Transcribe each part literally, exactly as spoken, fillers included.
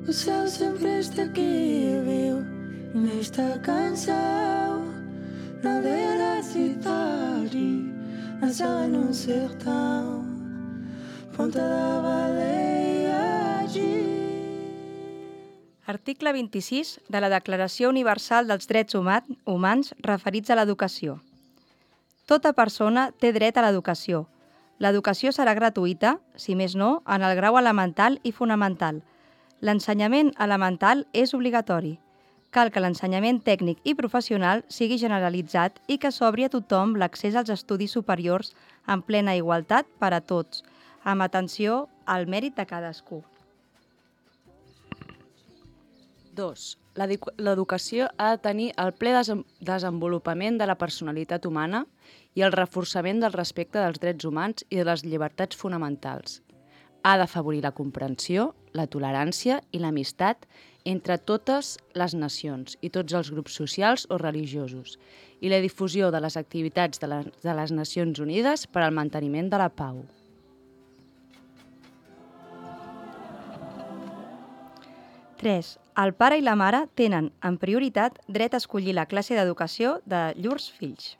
O céu sempre está aqui, viu? Nesta canção, na beira da cidade, na céu no sertão, Ponta da Baleia de... Article vint-i-sis de la Declaració Universal dels Drets Humans referits a l'educació. Tota persona té dret a l'educació. L'educació serà gratuïta, si més no, en el grau elemental i fonamental. L'ensenyament elemental és obligatori. Cal que l'ensenyament tècnic i professional sigui generalitzat i que s'obri a tothom l'accés als estudis superiors en plena igualtat per a tots, amb atenció al mèrit de cadascú. dos. L'educació ha de tenir el ple desenvolupament de la personalitat humana i el reforçament del respecte dels drets humans i de les llibertats fonamentals. Ha d'afavorir la comprensió, la tolerància i l'amistat entre totes les nacions i tots els grups socials o religiosos i la difusió de les activitats de les, de les Nacions Unides per al manteniment de la pau. tres. El pare i la mare tenen, en prioritat, dret a escollir la classe d'educació de llurs fills.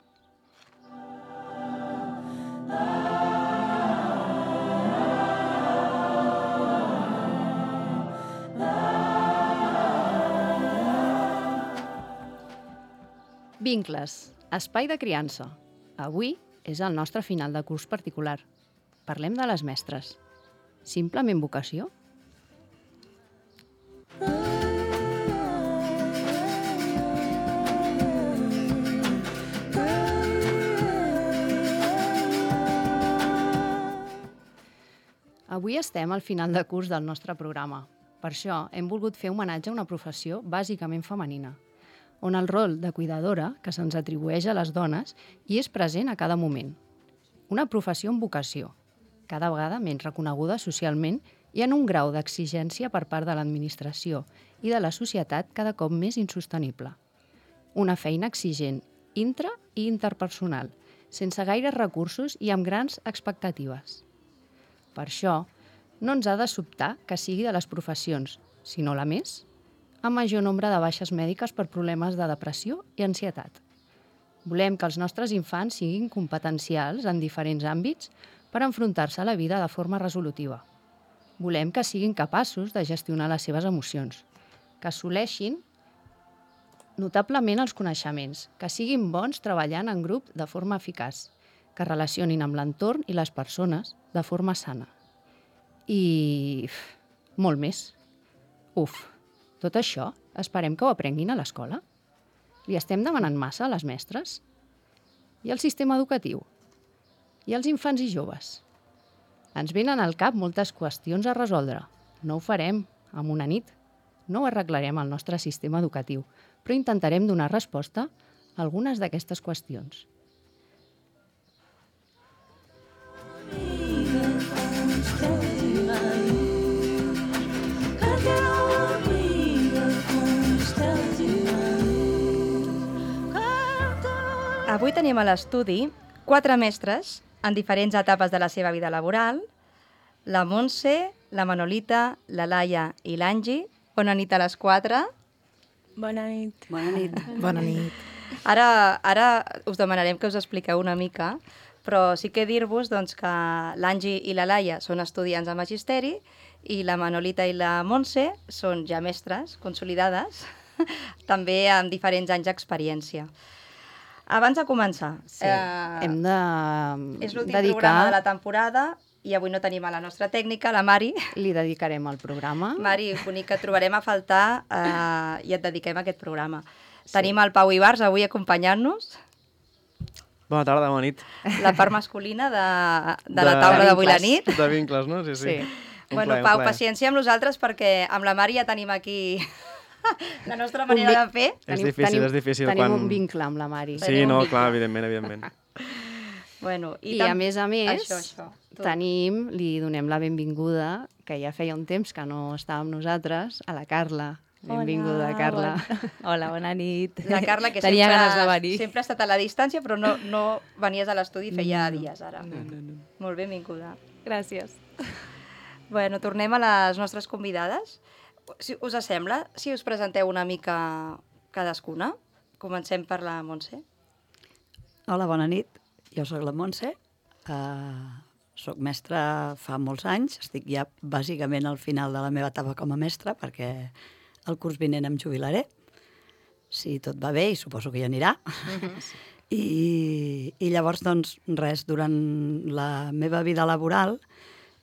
Vincles, espai de criança. Avui és el nostre final de curs particular. Parlem de les mestres. Simplement vocació? Avui estem al final de curs del nostre programa. Per això hem volgut fer homenatge a una professió bàsicament femenina, on el rol de cuidadora que se'ns atribueix a les dones hi és present a cada moment. Una professió amb vocació, cada vegada menys reconeguda socialment i en un grau d'exigència per part de l'administració i de la societat cada cop més insostenible. Una feina exigent, intra- i interpersonal, sense gaires recursos i amb grans expectatives. Per això, no ens ha de sobtar que sigui de les professions, si no la més, amb major nombre de baixes mèdiques per problemes de depressió i ansietat. Volem que els nostres infants siguin competencials en diferents àmbits per enfrontar-se a la vida de forma resolutiva. Volem que siguin capaços de gestionar les seves emocions, que assoleixin notablement els coneixements, que siguin bons treballant en grup de forma eficaç, que relacionin amb l'entorn i les persones de forma sana. I uf, molt més. Uf, tot això esperem que ho aprenguin a l'escola? Li estem demanant massa a les mestres? I al sistema educatiu? I als infants i joves? Ens venen al cap moltes qüestions a resoldre. No ho farem en una nit. No ho arreglarem al nostre sistema educatiu, però intentarem donar resposta a algunes d'aquestes qüestions. Avui tenim a l'estudi quatre mestres en diferents etapes de la seva vida laboral, la Montse, la Manolita, la Laia i l'Angie. Bona nit a les quatre. Bona nit. Bona nit. Bona nit. Ara, ara us demanarem que us expliqueu una mica, però sí que dir-vos doncs, que l'Angie i la Laia són estudiants de magisteri i la Manolita i la Montse són ja mestres consolidades, també amb diferents anys d'experiència. Abans de començar, Sí, eh, hem de és l'últim dedicar... programa de la temporada i avui no tenim a la nostra tècnica, la Mari. Li dedicarem el programa. Mari, bonic, que et trobarem a faltar eh, i et dediquem a aquest programa. Sí. Tenim el Pau Ibars avui acompanyant-nos, Bona tarda, bona nit. la part masculina de, de, de la taula d'avui la nit. De vincles, no? Sí, sí. Sí. Un Bueno, plaer, un Pau, plaer. paciència amb nosaltres perquè amb la Mari ja tenim aquí la nostra manera vi- de fer. És difícil, tenim, és difícil Tenim quan- un vincle amb la Mari. Sí, Tenim un no, vincle. clar, evidentment, evidentment. Bueno, I, tam- a més a més, Això, això. Tu. tenim, li donem la benvinguda, que ja feia un temps que no estava amb nosaltres, a la Carla. Benvinguda, Hola, Carla. Bona... Hola, bona nit. La Carla, que Tenia sempre, ganes de venir. sempre ha estat a la distància, però no, no venies a l'estudi feia No, dies ara. No, no, no. Molt benvinguda. Gràcies. Bueno, tornem a les nostres convidades. si us sembla, si us presenteu una mica cadascuna? Comencem per la Montse. Hola, bona nit. Jo sóc la Montse. Uh, soc mestra fa molts anys. Estic ja bàsicament al final de la meva etapa com a mestra perquè el curs vinent em jubilaré. Si tot va bé, i suposo que hi anirà. Uh-huh. I, I llavors, doncs, res, durant la meva vida laboral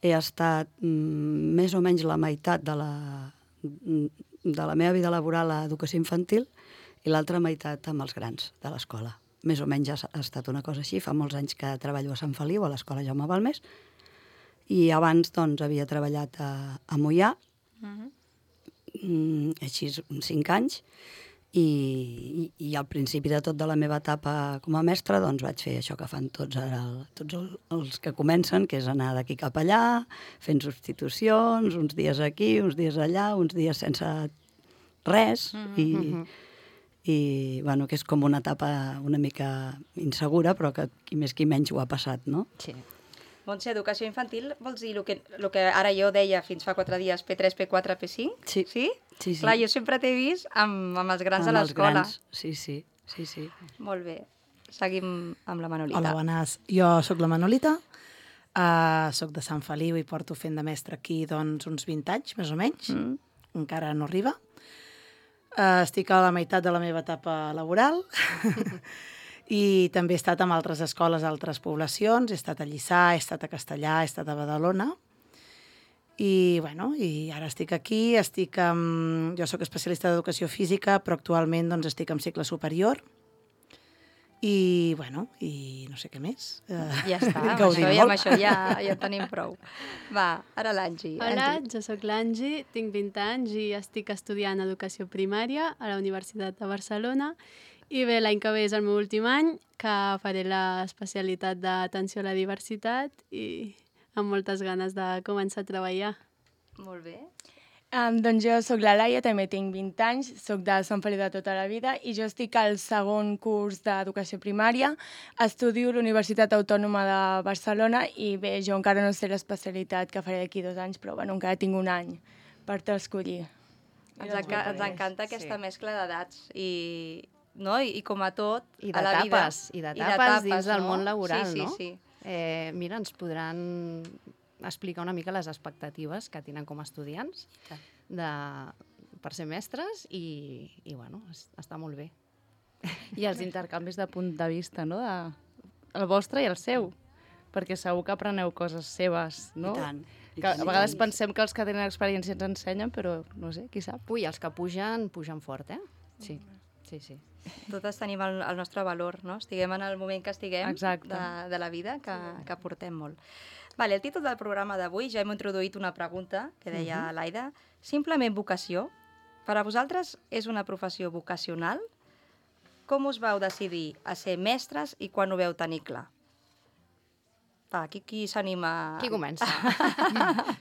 he estat mm, més o menys la meitat de la, de la meva vida laboral a educació infantil i l'altra meitat amb els grans de l'escola. Més o menys ha, ha estat una cosa així. Fa molts anys que treballo a Sant Feliu, a l'escola Jaume Balmes, i abans doncs, havia treballat a, a Moià, uh-huh. mm, així cinc anys, i, i, i al principi de tot de la meva etapa com a mestra doncs, vaig fer això que fan tots, ara, tots el, els que comencen, que és anar d'aquí cap allà, fent substitucions, uns dies aquí, uns dies allà, uns dies sense res, uh-huh. i... i bueno, que és com una etapa una mica insegura, però que qui més qui menys ho ha passat, no? Sí. Montse, educació infantil vols dir el que, el que ara jo deia fins fa quatre dies, P tres, P quatre, P cinc? Sí. Sí? Sí, sí. Clar, jo sempre t'he vist amb, amb els grans amb de l'escola. Sí, sí, sí, sí. Molt bé. Seguim amb la Manolita. Hola, bones. Jo sóc la Manolita, uh, sóc de Sant Feliu i porto fent de mestra aquí doncs, uns vint anys, més o menys. Mm. Encara no arriba. Uh, estic a la meitat de la meva etapa laboral i també he estat en altres escoles, altres poblacions, he estat a Lliçà, he estat a Castellà, he estat a Badalona i, bueno, i ara estic aquí, estic amb... jo sóc especialista d'educació física, però actualment doncs, estic en cicle superior i, bueno, i no sé què més. Uh, ja està, amb això, i amb això ja, ja tenim prou. Va, ara l'Angi. Hola, Angie. Jo sóc l'Angi, tinc vint anys i estic estudiant educació primària a la Universitat de Barcelona i bé, l'any que ve és el meu últim any, que faré l'especialitat d'atenció a la diversitat i amb moltes ganes de començar a treballar. Molt bé. Um, doncs jo sóc la Laia, també tinc vint anys, sóc de Sant Feliu de tota la vida i jo estic al segon curs d'educació primària, estudio a la Universitat Autònoma de Barcelona i bé, jo encara no sé l'especialitat que faré d'aquí dos anys, però bueno, encara tinc un any per escollir. Ens, enca ens encanta aquesta sí. mescla d'edats i, no? I, i com a tot, I a la vida. I d'etapes dins del no? món laboral, sí, sí, no? Sí. Eh, mira, ens podran explicar una mica les expectatives que tenen com a estudiants de, per ser mestres i, i bueno, està molt bé. I els intercanvis de punt de vista, no? De, el vostre i el seu, perquè segur que apreneu coses seves, no? I tant. Que a vegades pensem que els que tenen experiència ens ensenyen, però no sé, qui sap. Ui, els que pugen, pugen fort, eh? Sí, sí, sí. Totes tenim el, el nostre valor, no? Estiguem en el moment que estiguem de, de la vida, que, que portem molt. Vale, el títol del programa d'avui ja hem introduït una pregunta que deia uh-huh. l'Aida. Simplement vocació. Per a vosaltres és una professió vocacional? Com us vau decidir a ser mestres i quan ho veu tenir clar? Va, qui, qui s'anima? Qui comença?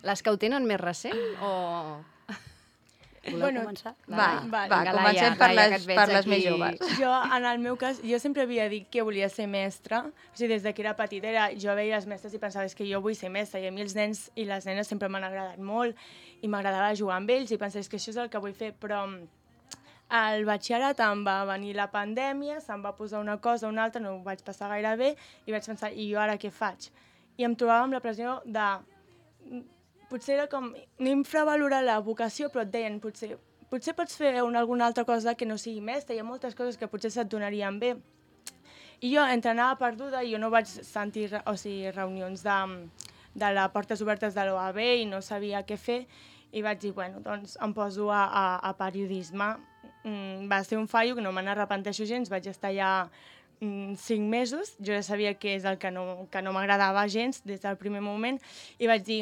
Les que ho tenen més recent o... Voleu bueno, començar? Va, va, va Vinga, comencem Laia, per, Laia, les, que per les aquí... més joves. Jo, en el meu cas, jo sempre havia dit que volia ser mestra. O sigui, des de que era petita, era, jo veia les mestres i pensava que jo vull ser mestra. I a mi els nens i les nenes sempre m'han agradat molt i m'agradava jugar amb ells i pensava que això és el que vull fer. Però al batxillerat em va venir la pandèmia, se'm va posar una cosa o una altra, no ho vaig passar gaire bé i vaig pensar, i jo ara què faig? I em trobava amb la pressió de... Potser era com... No infravalorar la vocació, però et deien, potser... Potser pots fer una, alguna altra cosa que no sigui mestra, hi ha moltes coses que potser se't donarien bé. I jo entrenava perduda i jo no vaig sentir o sigui, reunions de, de les portes obertes de l'O A B i no sabia què fer i vaig dir, bueno, doncs em poso a, a, a periodisme. Mm, va ser un fallo que no me n'arrepenteixo gens, vaig estar allà mm, cinc mesos, jo ja sabia que és el que no, que no m'agradava gens des del primer moment i vaig dir,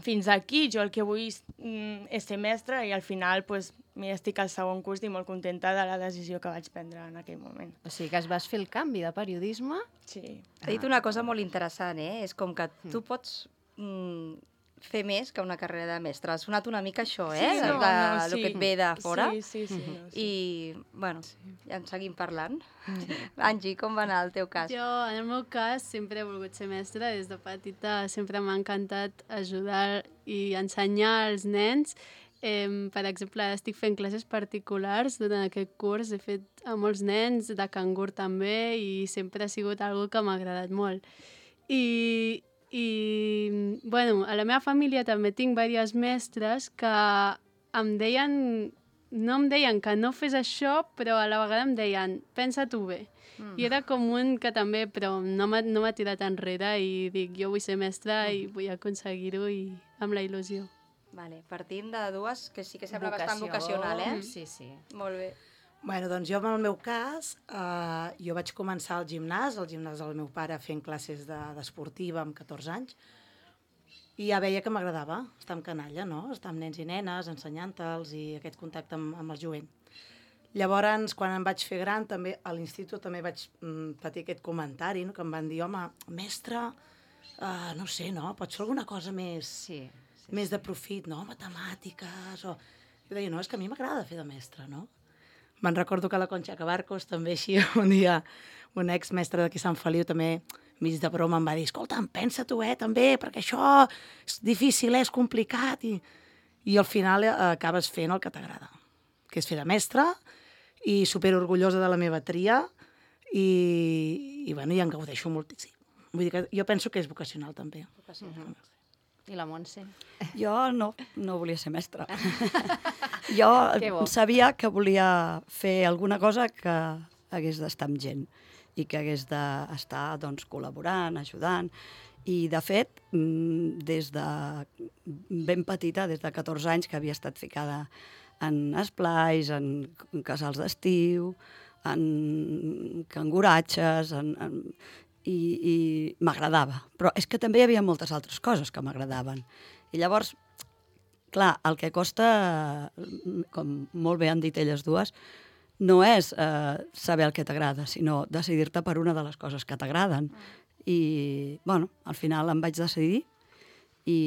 fins aquí, jo el que vull mm, és ser mestra i al final pues, mira, estic al segon curs i molt contenta de la decisió que vaig prendre en aquell moment. O sigui que es vas fer el canvi de periodisme. Sí. T'he dit una cosa molt interessant, eh? És com que tu pots mm, fer més que una carrera de mestre. Ha sonat una mica això, eh? Sí, no, de, no, el sí. que et ve de fora. Sí, sí, sí. No, sí. I, bueno, sí. Ja en seguim parlant. Sí. Angie, com va anar el teu cas? Jo, en el meu cas, sempre he volgut ser mestra. Des de petita sempre m'ha encantat ajudar i ensenyar als nens eh, per exemple, estic fent classes particulars durant aquest curs. He fet a molts nens, de cangur també, i sempre ha sigut algo que m'ha agradat molt. I, i bueno, a la meva família també tinc diverses mestres que em deien, no em deien que no fes això, però a la vegada em deien, pensa-t'ho bé. Mm. I era com un que també, però no m'ha no m'ha tirat enrere i dic, jo vull ser mestra mm. i vull aconseguir-ho i amb la il·lusió. Vale, partim de dues que sí que sembla bastant vocacional, eh? Sí, sí. Molt bé. Bueno, doncs jo, en el meu cas, eh, jo vaig començar al gimnàs, al gimnàs del meu pare fent classes d'esportiva de, amb catorze anys, i ja veia que m'agradava estar amb canalla, no? Estar amb nens i nenes, ensenyant-los i aquest contacte amb, amb el jovent. Llavors, quan em vaig fer gran, també a l'institut també vaig mm, patir aquest comentari, no? Que em van dir, home, mestre, uh, no sé, no? Pots fer alguna cosa més, sí, sí, més sí. de profit, no? Matemàtiques, o... Jo deia, no, és que a mi m'agrada fer de mestre, no? Me'n recordo que la Conxa Cabarcos també així, un dia, un ex-mestre d'aquí Sant Feliu també, mig de broma, em va dir, escolta'm, pensa-t'ho, eh, també, perquè això és difícil, eh, és complicat, i, i al final eh, acabes fent el que t'agrada, que és fer de mestre, i superorgullosa de la meva tria, i, i, bueno, i en gaudeixo moltíssim. Vull dir que jo penso que és vocacional, també. Vocacional. Mm-hmm. I la Montse? Jo no, no volia ser mestra. Jo sabia que volia fer alguna cosa que hagués d'estar amb gent i que hagués d'estar doncs, col·laborant, ajudant. I, de fet, des de ben petita, des de catorze anys, que havia estat ficada en esplais, en casals d'estiu, en canguratges, en, en... i, i m'agradava. Però és que també hi havia moltes altres coses que m'agradaven. I llavors, clar, el que costa, com molt bé han dit elles dues, no és eh, saber el que t'agrada, sinó decidir-te per una de les coses que t'agraden. I, bueno, al final em vaig decidir i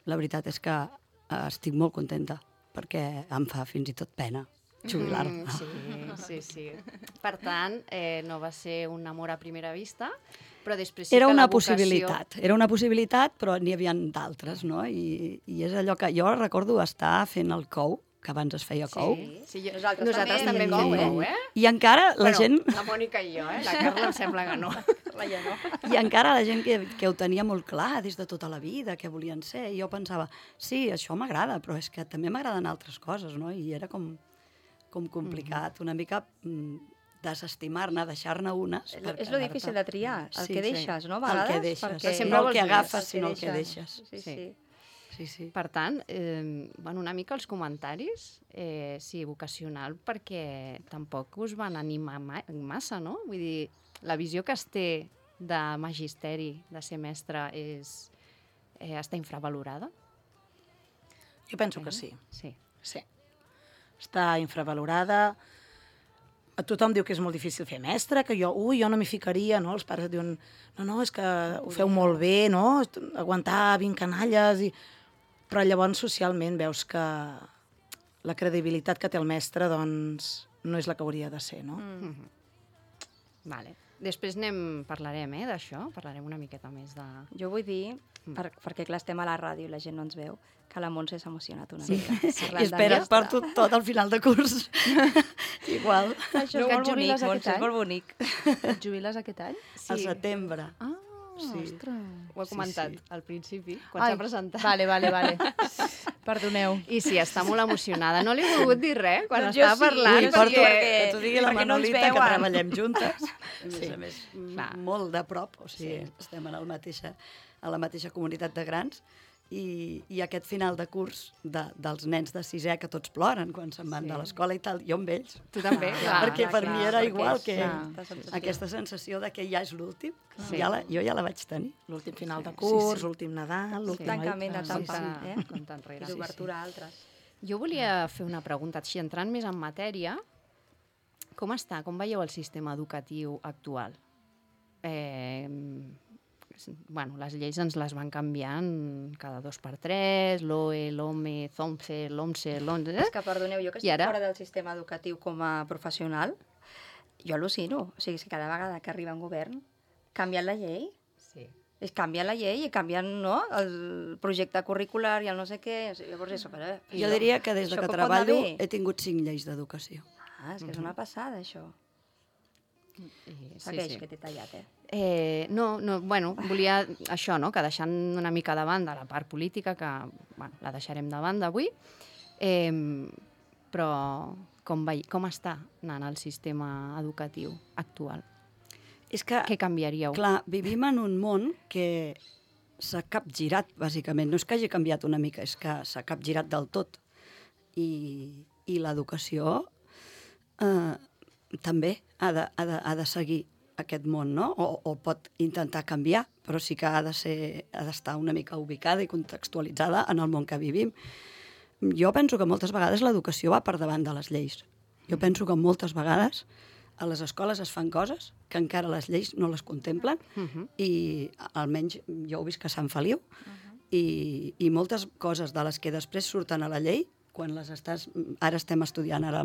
la veritat és que eh, estic molt contenta perquè em fa fins i tot pena jubilar-me. Mm, sí, sí, sí. Per tant, eh, no va ser un amor a primera vista, però després sí era que una la vocació... possibilitat, era una possibilitat, però n'hi havia d'altres, no? I, I és allò que jo recordo estar fent el cou, que abans es feia cou. Sí, sí jo... Nosaltres, Nosaltres també, també també cou, cou, eh? I encara la bueno, gent... la Mònica i jo, eh? La Carla em sembla que no. Vaja, no. I encara la gent que, que ho tenia molt clar des de tota la vida, que volien ser, i jo pensava, sí, això m'agrada, però és que també m'agraden altres coses, no? I era com, com complicat, una mica mm, desestimar-ne, deixar-ne unes. És lo difícil de triar, el sí, que deixes, sí. no? A vegades, el que deixes, perquè... sempre no el que vols agafes, més, sinó el que deixes. Sí, sí. sí. Sí, sí. Per tant, eh, bueno, una mica els comentaris, eh, sí, vocacional, perquè tampoc us van animar ma massa, no? Vull dir, la visió que es té de magisteri, de ser mestre, és, eh, està infravalorada? Jo penso que sí. Sí. Sí. Està infravalorada. A tothom diu que és molt difícil fer mestre, que jo, ui, jo no m'hi ficaria, no? Els pares et diuen, no, no, és que ho feu molt bé, no? Aguantar vint canalles i... Però llavors socialment veus que la credibilitat que té el mestre, doncs, no és la que hauria de ser, no? Mm. Mm-hmm. Vale. Després anem, parlarem, eh, d'això, parlarem una miqueta més de... Jo vull dir, per, perquè clar, estem a la ràdio i la gent no ens veu, que la Montse s'ha emocionat una sí. mica. I espera, per tot, tot al final de curs. Igual. Això és molt bonic, Montse, és molt bonic. Et jubiles aquest any? Sí. Al setembre. Ah, sí. ostres. Ho he comentat sí, sí. al principi, quan s'ha presentat. Vale, vale, vale. Perdoneu. I sí, està molt emocionada. No li he volgut dir res quan doncs estava sí, parlant. Ui, porto, perquè, que t'ho digui la Manolita, no que treballem juntes. A més Sí. a més, Clar. molt de prop. O sigui, Sí. estem en el mateixa, a la mateixa comunitat de grans. I, i aquest final de curs de, dels nens de sisè, que tots ploren quan se'n van Sí. de l'escola i tal, jo amb ells. Tu també, clar. perquè per clar, mi era perquè igual és, que clar, sensació. aquesta sensació de que ja és l'últim. Sí. Ja la, jo ja la vaig tenir. L'últim final de Sí, curs, sí. l'últim Nadal, l'últim... Tancament Ah, d'etapa, sí, eh? Compte enrere. I d'obertura a altres. Jo volia fer una pregunta, així entrant més en matèria. Com està? Com veieu el sistema educatiu actual? Eh, bueno, les lleis ens les van canviant cada dos per tres, l'O E, l'OME, ZOMCE, l'OMCE, l'ONCE... És que, perdoneu, jo que I estic ara? fora del sistema educatiu com a professional, jo al·lucino. O sigui, si cada vegada que arriba un govern canviant la llei, Sí. Es canvia la llei i canvien, no?, el projecte curricular i el no sé què. Llavors, això, però, Jo diria que des de això que com pot anar treballo bé? he tingut cinc lleis d'educació. Ah, és que és una passada, això. Sí, Segueix, sí. que t'he tallat, eh? Eh, no, no, bueno, volia això, no?, que deixant una mica de banda la part política, que bueno, la deixarem de banda avui, eh, però com, vei, com està anant el sistema educatiu actual? És que, Què canviaríeu? clar, vivim en un món que s'ha capgirat, bàsicament. No és que hagi canviat una mica, és que s'ha capgirat del tot. I, i l'educació eh, també ha de, ha, de, ha de seguir aquest món, no? O, o pot intentar canviar, però sí que ha de ser, ha d'estar una mica ubicada i contextualitzada en el món que vivim. Jo penso que moltes vegades l'educació va per davant de les lleis. Jo penso que moltes vegades a les escoles es fan coses que encara les lleis no les contemplen Uh-huh. i almenys jo ho visc a Sant Feliu i, i moltes coses de les que després surten a la llei, quan les estàs... Ara estem estudiant ara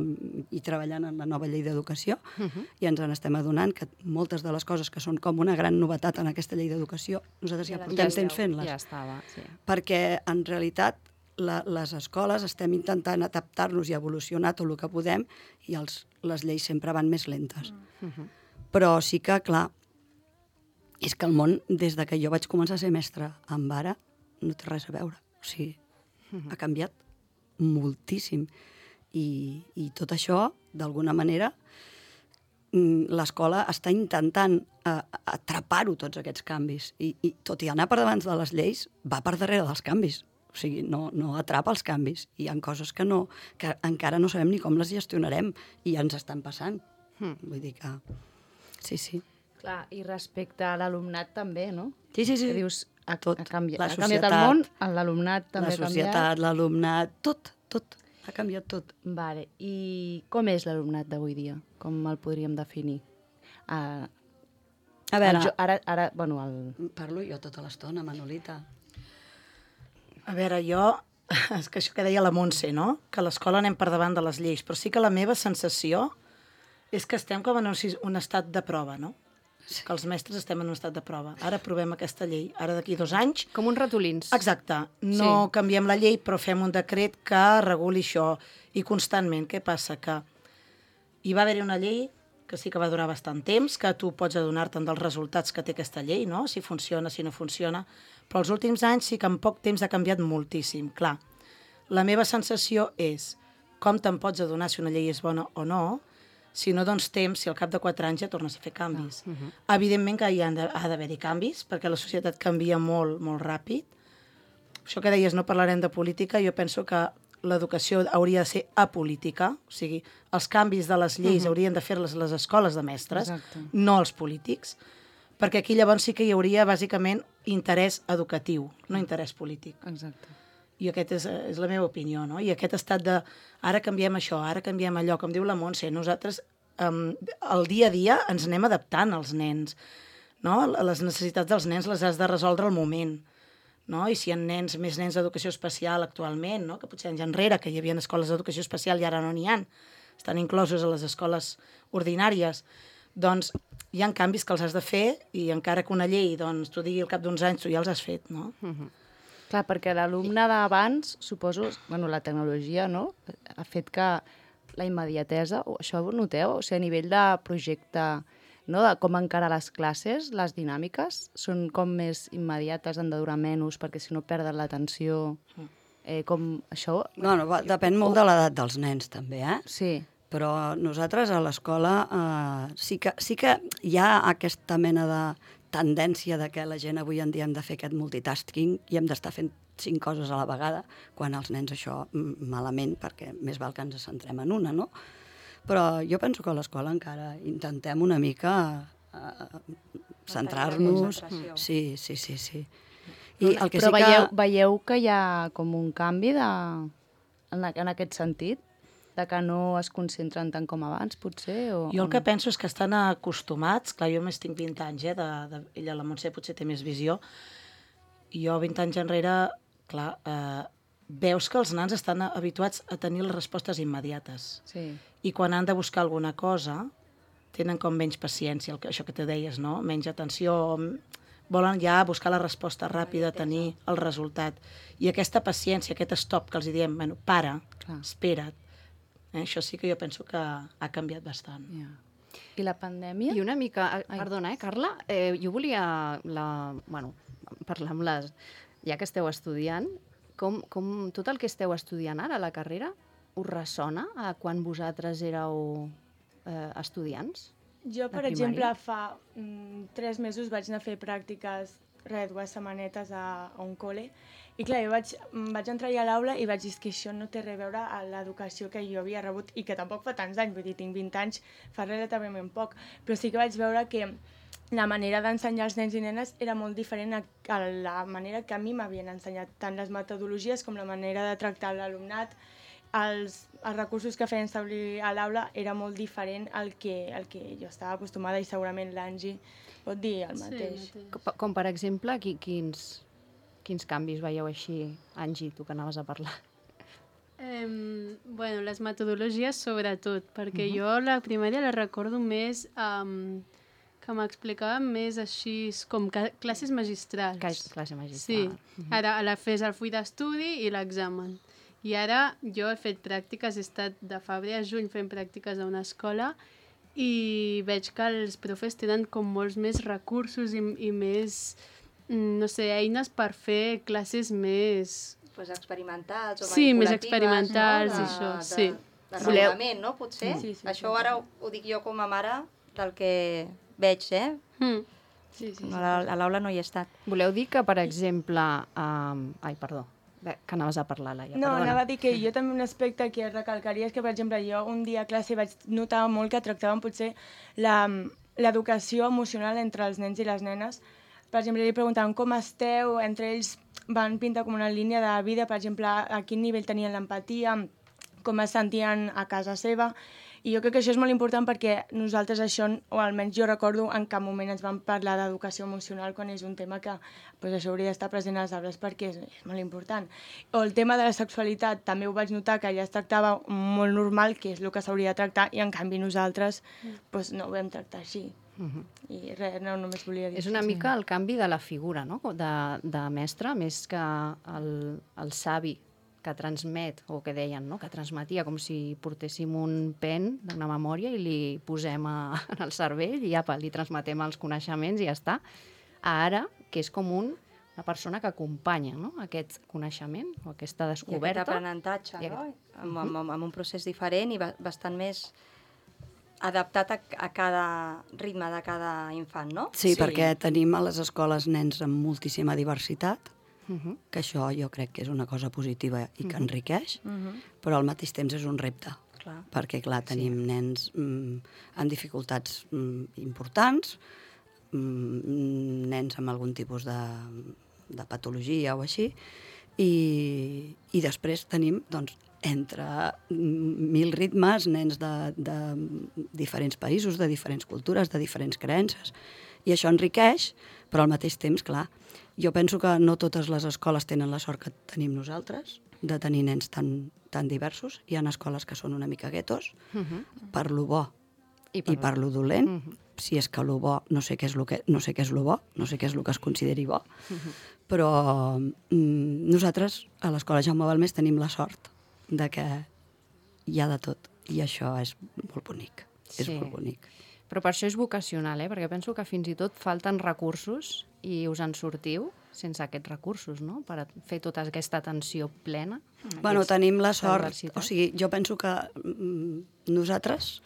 i treballant en la nova llei d'educació Uh-huh. i ens n'estem adonant que moltes de les coses que són com una gran novetat en aquesta llei d'educació, nosaltres ja, Ja les portem esteu, temps fent-les. Ja estava, sí. Perquè en realitat la, les escoles estem intentant adaptar-nos i evolucionar tot el que podem i els, les lleis sempre van més lentes. Uh-huh. Però sí que, clar, és que el món, des de que jo vaig començar a ser mestra amb ara, no té res a veure. O sigui, ha canviat moltíssim. I, i tot això, d'alguna manera, mm, l'escola està intentant eh, atrapar-ho, tots aquests canvis. I, I tot i anar per davant de les lleis, va per darrere dels canvis. O sigui, no, no atrapa els canvis. Hi ha coses que, no, que encara no sabem ni com les gestionarem i ja ens estan passant. Hmm. Vull dir que... Sí, sí. Clar, i respecte a l'alumnat també, no? Sí, sí, sí. Que dius, ha, Tot. ha, canviat, La ha canviat el societat, món, l'alumnat també La ha canviat. societat, l'alumnat, tot, tot. Ha canviat tot. Vale. I com és l'alumnat d'avui dia? Com el podríem definir? Uh, A veure, jo, ara, ara, bueno, el... parlo jo tota l'estona, Manolita. A veure, jo... És que això que deia la Montse, no? Que a l'escola anem per davant de les lleis, però sí que la meva sensació és que estem com en un, sis- un estat de prova, no? Que els mestres estem en un estat de prova. Ara provem aquesta llei. Ara d'aquí dos anys... Com uns ratolins. Exacte. No Sí. canviem la llei, però fem un decret que reguli això. I constantment, què passa? Que hi va haver-hi una llei que sí que va durar bastant temps, que tu pots adonar-te'n dels resultats que té aquesta llei, no? Si funciona, si no funciona. Però els últims anys sí que en poc temps ha canviat moltíssim. Clar, la meva sensació és com te'n pots adonar si una llei és bona o no, si no dones temps, si al cap de quatre anys ja tornes a fer canvis. Ah, uh-huh. Evidentment que hi ha de, ha d'haver-hi canvis, perquè la societat canvia molt, molt ràpid. Això que deies, no parlarem de política, jo penso que l'educació hauria de ser apolítica, o sigui, els canvis de les lleis uh-huh. haurien de fer-les les escoles de mestres, Exacte. no els polítics, perquè aquí llavors sí que hi hauria bàsicament interès educatiu, no interès polític. Exacte. I aquesta és, és la meva opinió, no? I aquest estat de ara canviem això, ara canviem allò, com diu la Montse, nosaltres um, el dia a dia ens anem adaptant als nens, no? Les necessitats dels nens les has de resoldre al moment, no? I si hi ha nens, més nens d'educació especial actualment, no? Que potser anys enrere, que hi havia escoles d'educació especial i ara no n'hi ha, estan inclosos a les escoles ordinàries, doncs hi ha canvis que els has de fer i encara que una llei doncs, t'ho digui al cap d'uns anys, tu ja els has fet, no? Uh-huh. Clar, perquè l'alumne d'abans, suposo, bueno, la tecnologia, no?, ha fet que la immediatesa, o això ho noteu? O sigui, a nivell de projecte, no?, de com encarar les classes, les dinàmiques, són com més immediates, han de durar menys, perquè si no perden l'atenció, eh, com això... Bueno, va, depèn molt de l'edat dels nens, també, eh? Sí. Però nosaltres a l'escola eh, sí, que, sí que hi ha aquesta mena de tendència de que la gent avui en dia hem de fer aquest multitasking i hem d'estar fent cinc coses a la vegada, quan els nens això mm, malament, perquè més val que ens centrem en una, no? Però jo penso que a l'escola encara intentem una mica eh, centrar-nos... Sí, sí, sí, sí. I el que Però sí que... veieu, veieu que hi ha com un canvi de... en, en aquest sentit? De que no es concentren tant com abans, potser? O, Jo el o que no? penso és que estan acostumats, clar, jo més tinc vint anys, eh, de, de, ella, la Montse, potser té més visió, i jo vint anys enrere, clar, eh, veus que els nans estan habituats a tenir les respostes immediates. Sí. I quan han de buscar alguna cosa, tenen com menys paciència, el que, això que te deies, no? Menys atenció, volen ja buscar la resposta ràpida, tenir el resultat. I aquesta paciència, aquest stop que els diem, bueno, para, Clar. espera't, eh? Això sí que jo penso que ha canviat bastant. Ja. I la pandèmia? I una mica... Perdona, eh, Carla? Eh, jo volia la, bueno, parlar amb les... Ja que esteu estudiant, com, com tot el que esteu estudiant ara a la carrera us ressona a quan vosaltres éreu eh, estudiants? Jo, per primària? exemple, fa mm, tres mesos vaig anar a fer pràctiques, res, dues setmanetes a, a un col·le, i clar, jo vaig, vaig entrar a l'aula i vaig dir que això no té res a veure amb l'educació que jo havia rebut, i que tampoc fa tants anys, vull dir, tinc vint anys, fa relativament poc, però sí que vaig veure que la manera d'ensenyar als nens i nenes era molt diferent a, a la manera que a mi m'havien ensenyat, tant les metodologies com la manera de tractar l'alumnat. Els, els recursos que feien servir a l'aula era molt diferent al que, al que jo estava acostumada, i segurament l'Angie pot dir el mateix. Sí, Com, com per exemple, qui, quins, quins canvis veieu així? Angie, tu que anaves a parlar. Eh, bueno, les metodologies sobretot, perquè uh -huh. jo la primària la recordo més um, que m'explicaven més així com classes magistrals. Classe magistral. Sí, uh -huh. Ara a la fes el full d'estudi i l'examen. I ara jo he fet pràctiques, he estat de febrer a juny fent pràctiques a una escola, i veig que els profes tenen com molts més recursos i, i més, no sé, eines per fer classes més... Pues experimentals o sí, més manipulatives, experimentals, no? i De, això, de, sí. De Sí. regulament, no? Potser? Sí, sí, Això sí. ara ho, ho dic jo com a mare del que veig, eh? Mm. Sí, sí, sí. A la- a l'aula no hi he estat. Voleu dir que, per exemple... Um... Ai, perdó. Bé, que anaves a parlar, Laia. No, Perdona. anava a dir que jo també un aspecte que recalcaria és que, per exemple, jo un dia a classe vaig notar molt que tractaven potser la- l'educació emocional entre els nens i les nenes. Per exemple, li preguntaven com esteu, entre ells van pintar com una línia de vida, per exemple, a quin nivell tenien l'empatia, com es sentien a casa seva. I jo crec que això és molt important perquè nosaltres això, o almenys jo recordo, en cap moment ens vam parlar d'educació emocional quan és un tema que pues, això hauria d'estar present als arbres perquè és, és molt important. O el tema de la sexualitat, també ho vaig notar que ja es tractava molt normal, que és el que s'hauria de tractar, i en canvi nosaltres pues, no ho vam tractar així. Uh -huh. I res, no, només volia dir És una això. mica el canvi de la figura, no?, de, de mestre, més que el, el savi que transmet, o que deien, no?, que transmetia, com si portéssim un pen d'una memòria i li posem a, al cervell i apa, li transmetem els coneixements i ja està. Ara, que és com un, una persona que acompanya, no?, aquest coneixement o aquesta I descoberta. aquest aprenentatge, I no? aquest- Amb, amb, amb un procés diferent i ba- bastant més adaptat a, a cada ritme de cada infant, no? Sí, Sí. sí, perquè tenim a les escoles nens amb moltíssima diversitat, Uh -huh. que això jo crec que és una cosa positiva i que enriqueix, Uh -huh. però al mateix temps és un repte, Clar. perquè, clar, tenim sí. nens mm, amb dificultats mm, importants, mm, nens amb algun tipus de, de patologia o així, i, i després tenim, doncs, entre mil ritmes, nens de, de diferents països, de diferents cultures, de diferents creences, i això enriqueix, però al mateix temps, clar, jo penso que no totes les escoles tenen la sort que tenim nosaltres, de tenir nens tan, tan diversos. Hi ha escoles que són una mica guetos, Uh -huh. per lo bo I i per lo dolent, Uh -huh. si és que lo bo, no sé què és lo que, no sé què és lo bo, no sé què és lo que es consideri bo, però mm, nosaltres a l'Escola Jaume Balmés tenim la sort de que hi ha de tot, i això és molt bonic, és Sí. molt bonic. Però per això és vocacional, eh? Perquè penso que fins i tot falten recursos i us en sortiu sense aquests recursos, no?, per a fer tota aquesta atenció plena. Bueno, Aquests- tenim la sort, diversitat. o sigui, jo penso que mm, nosaltres,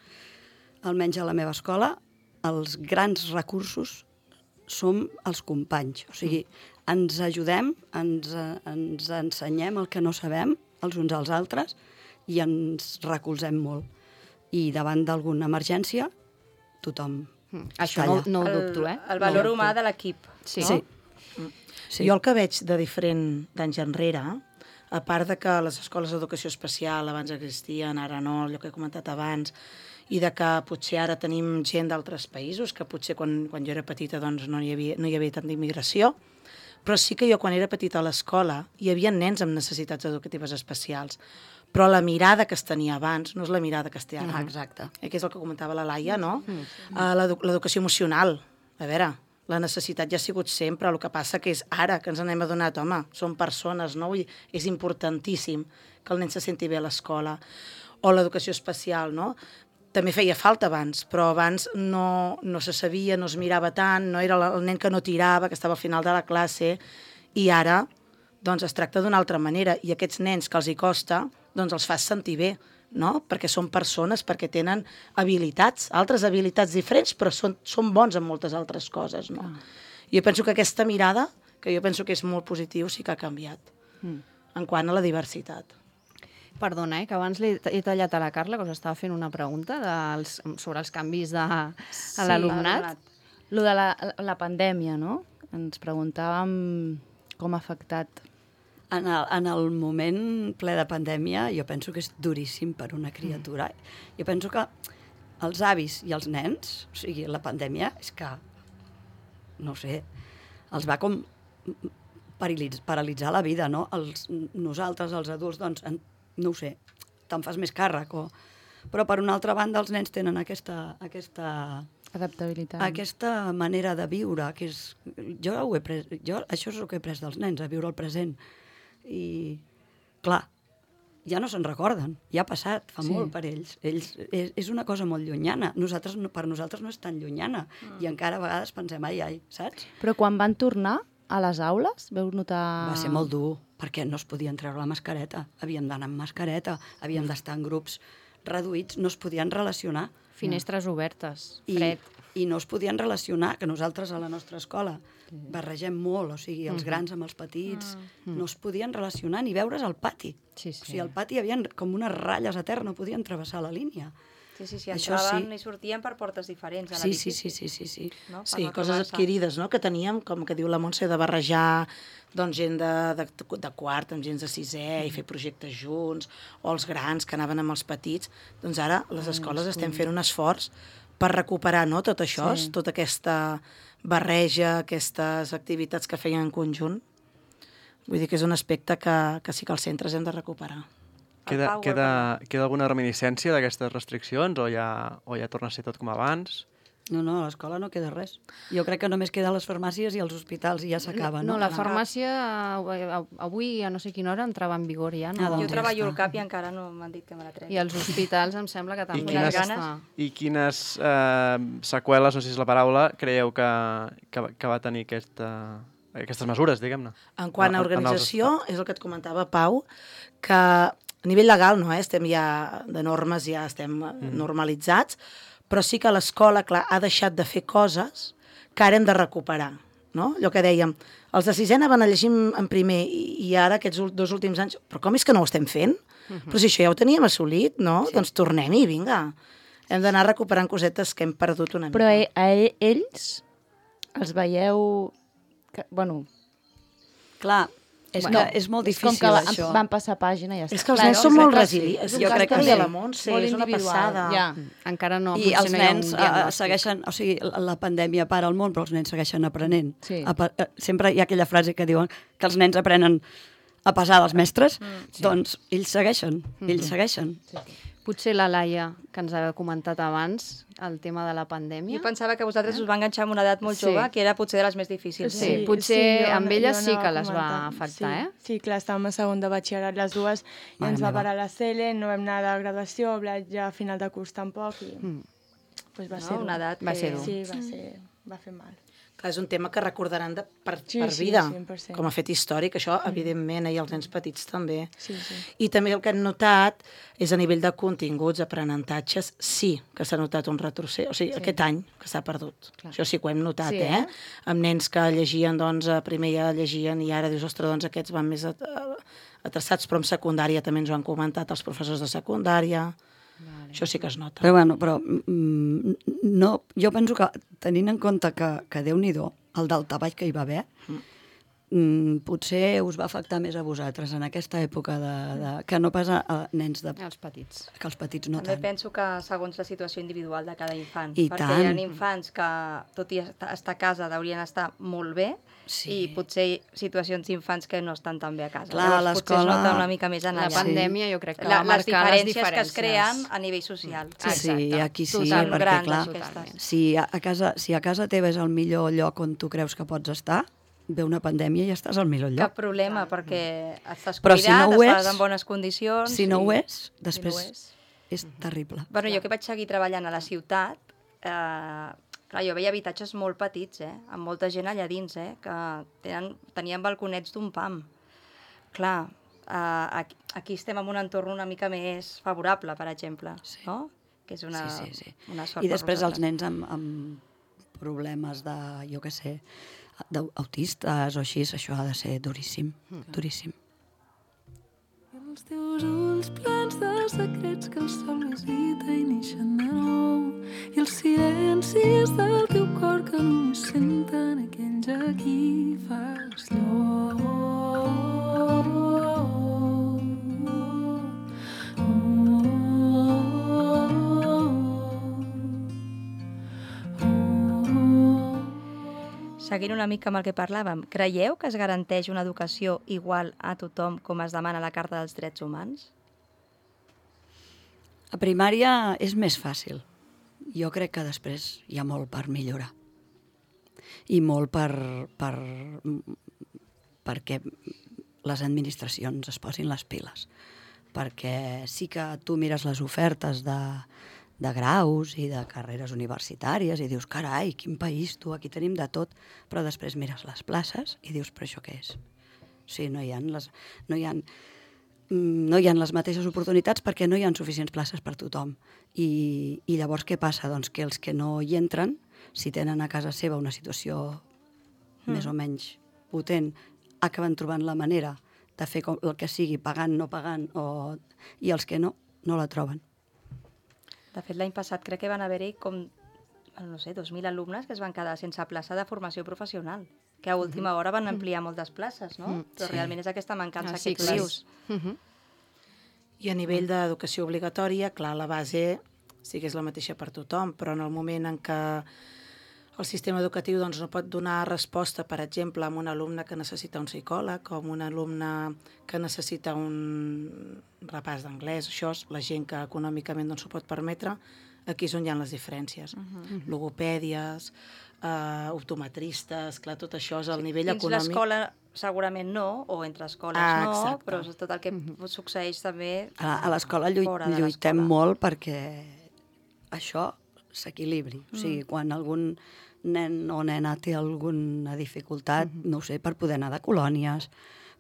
almenys a la meva escola, els grans recursos som els companys, o sigui, ens ajudem, ens, eh, ens ensenyem el que no sabem els uns als altres i ens recolzem molt. I davant d'alguna emergència, tothom Mm. Això està no, allà. no ho el, dubto, eh? El valor no ho humà dubto. de l'equip. Sí. Sí. Sí. Sí. Jo el que veig de diferent d'anys enrere, a part de que les escoles d'educació especial abans existien, ara no, allò que he comentat abans, i de que potser ara tenim gent d'altres països, que potser quan, quan jo era petita doncs, no, hi havia, no hi havia tanta immigració, però sí que jo quan era petita a l'escola hi havia nens amb necessitats educatives especials, però la mirada que es tenia abans no és la mirada que es té ara. Ah, exacte. Eh, que és el que comentava la Laia, no? Uh, l'edu- L'educació emocional. A veure, La necessitat ja ha sigut sempre, el que passa que és ara que ens n'hem adonat, home, són persones, no? I és importantíssim que el nen se senti bé a l'escola. O l'educació especial, no? També feia falta abans, però abans no, no se sabia, no es mirava tant, no era el nen que no tirava, que estava al final de la classe, i ara doncs, es tracta d'una altra manera, i aquests nens que els hi costa, doncs els fas sentir bé, no? Perquè són persones, perquè tenen habilitats, altres habilitats diferents, però són, són bons en moltes altres coses, no? Ah. Jo penso que aquesta mirada, que jo penso que és molt positiu, sí que ha canviat, mm. en quant a la diversitat. Perdona, eh, que abans li he tallat a la Carla, que us estava fent una pregunta dels, sobre els canvis de, a Sí, l'alumnat. Lo de la, la pandèmia, no? Ens preguntàvem com ha afectat. En el, en el moment ple de pandèmia, jo penso que és duríssim per una criatura. Mm. Jo penso que els avis i els nens, o sigui, la pandèmia és que, no sé, els va com paralitz, paralitzar la vida, no? Els, nosaltres, els adults, doncs, en, no ho sé, te'n fas més càrrec. O... Però, per una altra banda, els nens tenen aquesta... aquesta adaptabilitat. Aquesta manera de viure, que és... Jo, ho he pres, jo això és el que he pres dels nens, a viure el present. I, clar, ja no se'n recorden, ja ha passat, fa sí. molt per ells. ells és, és una cosa molt llunyana. Nosaltres, per nosaltres no és tan llunyana. Mm. I encara a vegades pensem, ai, ai, saps? Però quan van tornar a les aules, veu notar... Va ser molt dur, perquè no es podien treure la mascareta. Havíem d'anar amb mascareta, havíem d'estar en grups reduïts, no es podien relacionar. Finestres mm. obertes, I, fred. I no es podien relacionar, que nosaltres a la nostra escola barregem molt, o sigui, els grans amb els petits, mm. no es podien relacionar ni veure's al pati. Sí, sí. O sigui, al pati hi havia com unes ratlles a terra, no podien travessar la línia. Sí, sí, sí, Això entraven sí. i sortien per portes diferents a Sí, l'edifici. sí, sí, sí, sí, sí. No? Sí, no coses adquirides, no?, que teníem, com que diu la Montse, de barrejar doncs, gent de, de, de quart amb gent de sisè mm. i fer projectes junts, o els grans que anaven amb els petits. Doncs ara les escoles mm, estem fent un esforç per recuperar, no?, tot això, sí. tota aquesta barreja, aquestes activitats que feien en conjunt. Vull dir que és un aspecte que, que sí que els centres hem de recuperar. Queda, queda, queda alguna reminiscència d'aquestes restriccions o ja, o ja torna a ser tot com abans? No, no, a l'escola no queda res. Jo crec que només queden les farmàcies i els hospitals i ja s'acaba, no? No, la farmàcia avui a no sé quina hora entrava en vigor ja. No? Ah, doncs jo treballo al CAP i encara no m'han dit que me la tregui. I els hospitals em sembla que també. I quines, està... i quines eh, seqüeles, no sé si és la paraula, creieu que, que, que va tenir aquesta, aquestes mesures, diguem-ne? En quant a organització, és el que et comentava, Pau, que a nivell legal no, eh? Estem ja de normes, ja estem mm. normalitzats, però sí que l'escola, clar, ha deixat de fer coses que ara hem de recuperar, no? Allò que dèiem, els de sisè anaven a llegir en primer i, i ara aquests dos últims anys, però com és que no ho estem fent? Uh-huh. Però si això ja ho teníem assolit, no? Sí. Doncs tornem-hi, vinga. Hem d'anar recuperant cosetes que hem perdut una mica. Però a, a ells els veieu... Que, bueno... Clar, és, bueno, que és molt difícil, és com que això. Van passar pàgina i ja està. És que els nens són molt resilients. Jo crec que sí. La Montse, és una passada. Ja, encara no. I els nens uh, segueixen... O sigui, la pandèmia para el món, però els nens segueixen aprenent. Sí. Apa, sempre hi ha aquella frase que diuen que els nens aprenen a pesar dels mestres, mm, sí. doncs ells segueixen, mm-hmm. ells segueixen. Sí. Potser la Laia, que ens ha comentat abans, el tema de la pandèmia. Jo pensava que vosaltres eh? us va enganxar en una edat molt sí. jove, que era potser de les més difícils. Sí, sí. potser sí, jo, amb elles sí que les va afectar, sí. eh? Sí, clar, estàvem a segon de batxillerat les dues, i Mare ens va parar la C L, no vam anar de graduació, ja a final de curs tampoc, i mm. pues va no, ser una edat que... va ser dur. Sí, va, ser... va fer mal. Clar, és un tema que recordaran de, per, sí, per sí, vida, cent per cent. com a fet històric, això, mm. evidentment, i els nens petits també. Sí, sí. I també el que hem notat és a nivell de continguts, aprenentatges, sí que s'ha notat un retrocés, o sigui, sí. aquest any que s'ha perdut. Clar. Això sí que ho hem notat, sí, eh? eh? Amb nens que llegien, doncs, primer ja llegien i ara dius, ostres, doncs aquests van més atreçats, però en secundària també ens ho han comentat els professors de secundària. Vale. Això sí que es nota. Però, bueno, però mm, no, jo penso que, tenint en compte que, que Déu-n'hi-do, el daltabaix que hi va haver, mm. Mm, potser us va afectar més a vosaltres en aquesta època de, de, que no pas a, a nens de... Els petits. Que els petits no També tant. penso que segons la situació individual de cada infant. I perquè tant. hi ha infants que, tot i estar a casa, deurien estar molt bé, Sí. i potser situacions d'infants que no estan tan bé a casa. Clar, Llavors, potser es l'escola- nota una mica més en La allà. pandèmia jo crec que La, va les marcar les diferències que es diferències creen a nivell social. Sí, Exacte. aquí sí, Total, perquè grans, clar, aquestes. si a, a casa, si a casa teva és el millor lloc on tu creus que pots estar, ve una pandèmia i ja estàs al millor lloc. Cap problema, perquè estàs Però si cuidat, no ho estàs és- en bones condicions... Si no i- ho és, després Si no ho és. és terrible. Bueno, jo que vaig seguir treballant a la ciutat, eh, clar, jo veia habitatges molt petits, eh, amb molta gent allà dins, eh, que tenen, tenien balconets d'un pam. Clar, eh, aquí, aquí estem en un entorn una mica més favorable, per exemple, Sí. no? Que és una, sí, sí, sí. una sort I per després els vosaltres. nens amb, amb problemes de, jo què sé, d'autistes o així, això ha de ser duríssim, duríssim. Els teus ulls plens de secrets que el sol visita i neixen de nou, i els silencis del teu cor que només senten aquells a qui fas Seguint una mica amb el que parlàvem, creieu que es garanteix una educació igual a tothom com es demana a la Carta dels Drets Humans? A primària és més fàcil. Jo crec que després hi ha molt per millorar. I molt per, per perquè les administracions es posin les piles. Perquè sí que tu mires les ofertes de, de graus i de carreres universitàries i dius, carai, quin país, tu, aquí tenim de tot, però després mires les places i dius, però això què és? O sigui, no hi ha les, no hi ha, no hi ha les mateixes oportunitats perquè no hi ha suficients places per tothom. I, i llavors què passa? Doncs que els que no hi entren, si tenen a casa seva una situació mm. més o menys potent, acaben trobant la manera de fer com, el que sigui, pagant, no pagant, o... i els que no, no la troben. De fet, l'any passat crec que van haver-hi com, no sé, dos mil alumnes que es van quedar sense plaça de formació professional, que a última hora van ampliar moltes places, no? Mm, Però sí. realment és aquesta mancança Ah, que tu sí, dius. I a nivell d'educació obligatòria, clar, la base sí que és la mateixa per tothom, però en el moment en què el sistema educatiu doncs, no pot donar resposta, per exemple, a un alumne que necessita un psicòleg o a un alumne que necessita un repàs d'anglès, això és la gent que econòmicament no s'ho pot permetre, aquí és on hi ha les diferències. Uh -huh. Logopèdies, eh, optometristes, clar, tot això és al nivell Dins econòmic. l'escola segurament no, o entre escoles Ah, no, exacte. però és tot el que succeeix també A, a l'escola lluit, fora de lluitem l'escola. molt perquè això s'equilibri. O sigui, quan algun nen o nena té alguna dificultat, no ho sé, per poder anar de colònies,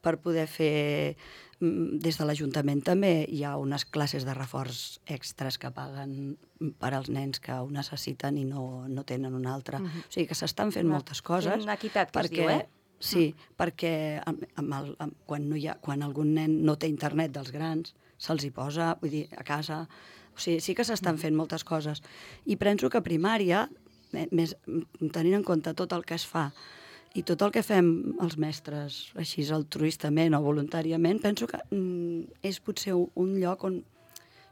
per poder fer... mm, Des de l'Ajuntament també hi ha unes classes de reforç extres que paguen per als nens que ho necessiten i no, no tenen una altra. O sigui que s'estan fent moltes coses. Fent equitat, que es perquè, diu, eh? Sí, perquè amb, amb el, amb, quan, no hi ha, quan algun nen no té internet dels grans, se'ls hi posa, vull dir, a casa... O sigui, sí que s'estan fent moltes coses. I penso que a primària, eh, més, tenint en compte tot el que es fa i tot el que fem els mestres, així altruistament o voluntàriament, penso que mm, és potser un, un lloc on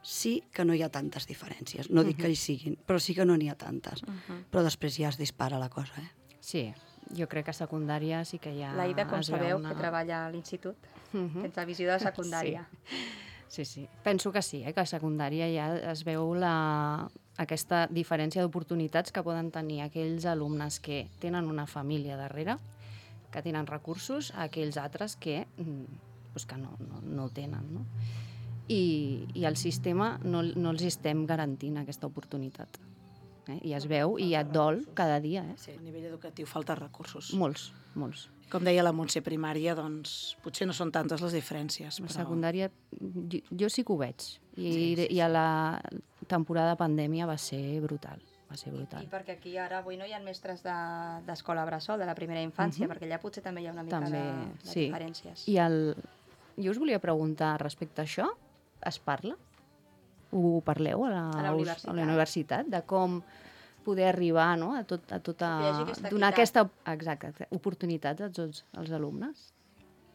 sí que no hi ha tantes diferències. No dic que hi siguin, però sí que no n'hi ha tantes. Però després ja es dispara la cosa, eh? Sí, jo crec que a secundària sí que ja L'Aida, com es veu sabeu, una... que treballa a l'institut, Mhm. tens la visió de secundària. Sí, sí. Penso que sí, eh? Que a secundària ja es veu la... aquesta diferència d'oportunitats que poden tenir aquells alumnes que tenen una família darrere, que tenen recursos, a aquells altres que, mm, pues que no, no, no ho tenen. No? I, I el sistema no, no els estem garantint aquesta oportunitat. Eh? I es veu i et dol cada dia. Eh? Sí, a nivell educatiu falta recursos. Molts, molts. Com deia la Montse, primària, doncs potser no són tantes les diferències. La Però... secundària, jo, jo sí que ho veig. I, Sí, sí, sí. I a la temporada de pandèmia va ser brutal. Va ser I brutal. perquè aquí ara avui no hi ha mestres de- d'escola de, bressol, de la primera infància, perquè allà potser també hi ha una mica També, de, de sí. diferències. I el... jo us volia preguntar respecte a això, es parla? Ho parleu a la, A la universitat. a la universitat? De com poder arribar, no?, a, tot, a tota... Que hi hagi aquesta donar equitat. aquesta exacte, oportunitats a tots els alumnes?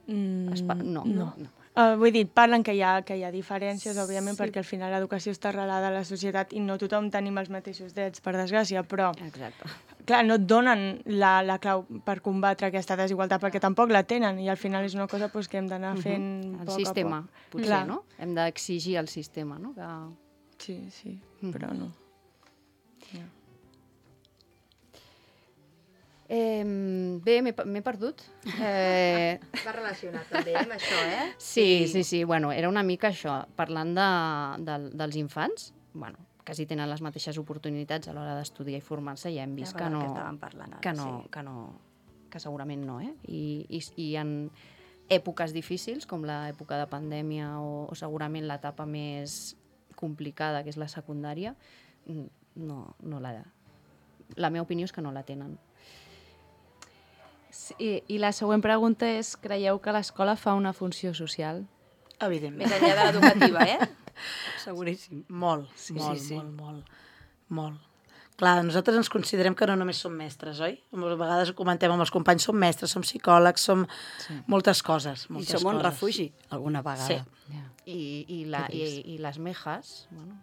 Mm, Es pa... No, no. no. Uh, vull dir, parlen que hi ha, que hi ha diferències, òbviament, sí. perquè al final l'educació està arrelada a la societat i no tothom tenim els mateixos drets, per desgràcia, però Exacte. clar, no et donen la, la clau per combatre aquesta desigualtat, perquè tampoc la tenen, i al final és una cosa pues, que hem d'anar fent Uh -huh. poc El sistema, a poc. potser, Clar. no? Hem d'exigir al sistema, no? Que... Sí, sí, Mm. però no. Ja. Eh, bé, m'he m'he perdut. Eh... Va relacionat també amb això, eh? Sí, sí, sí. Bueno, era una mica això, parlant de, de, dels infants, bueno, quasi tenen les mateixes oportunitats a l'hora d'estudiar i formar-se, ja hem vist Ja, que no, que estàvem parlant ara, que no, sí. que no, que segurament no, eh? I, i, i en èpoques difícils, com l'època de pandèmia o, o segurament l'etapa més complicada, que és la secundària, no, no la... La meva opinió és que no la tenen. Sí, i la següent pregunta és, creieu que l'escola fa una funció social? Evidentment. Més enllà de l'educativa, eh? Seguríssim. Molt, Sí, molt, sí, sí. molt, molt, molt. Clar, nosaltres ens considerem que no només som mestres, oi? A vegades ho comentem amb els companys, som mestres, som psicòlegs, som Sí. moltes coses. I Moltes som un coses. refugi, alguna vegada. Sí. Yeah. I, i, la, Que i, trist. i les mejas, bueno,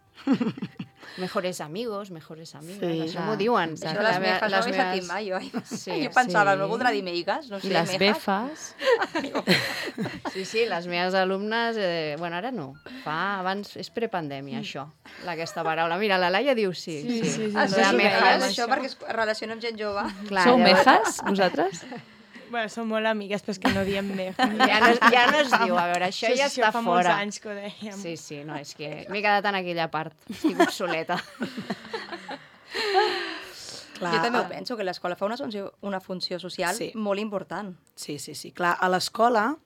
mejores amigos, mejores amigues, Sí. això Ah, m'ho diuen. Això La les me- mejas, no les ho he meves- sentit mai, oi? Sí, Jo pensava, sí. no voldrà dir meigues, no sé, I les mejas. befes? Sí, sí, les meves alumnes, eh, bueno, ara no, fa, abans, és prepandèmia, això, aquesta paraula. Mira, la Laia diu sí. Sí, sí, sí, Ah, sí, sí, sí, sí, mejas, això perquè es relaciona amb gent jove. Clar, Sou llavors- mejas, vosaltres? Bueno, som molt amigues, però és que no diem meja. Ja no, es- ja no es diu, a veure, això ja Això està fa molts fora. anys que ho dèiem. Sí, sí, no, és que m'he quedat en aquella part, estic obsoleta. Clar, Jo també ho a- penso, que l'escola fa una funció, una funció social Sí. molt important. Sí, sí, sí. Clar, a l'escola,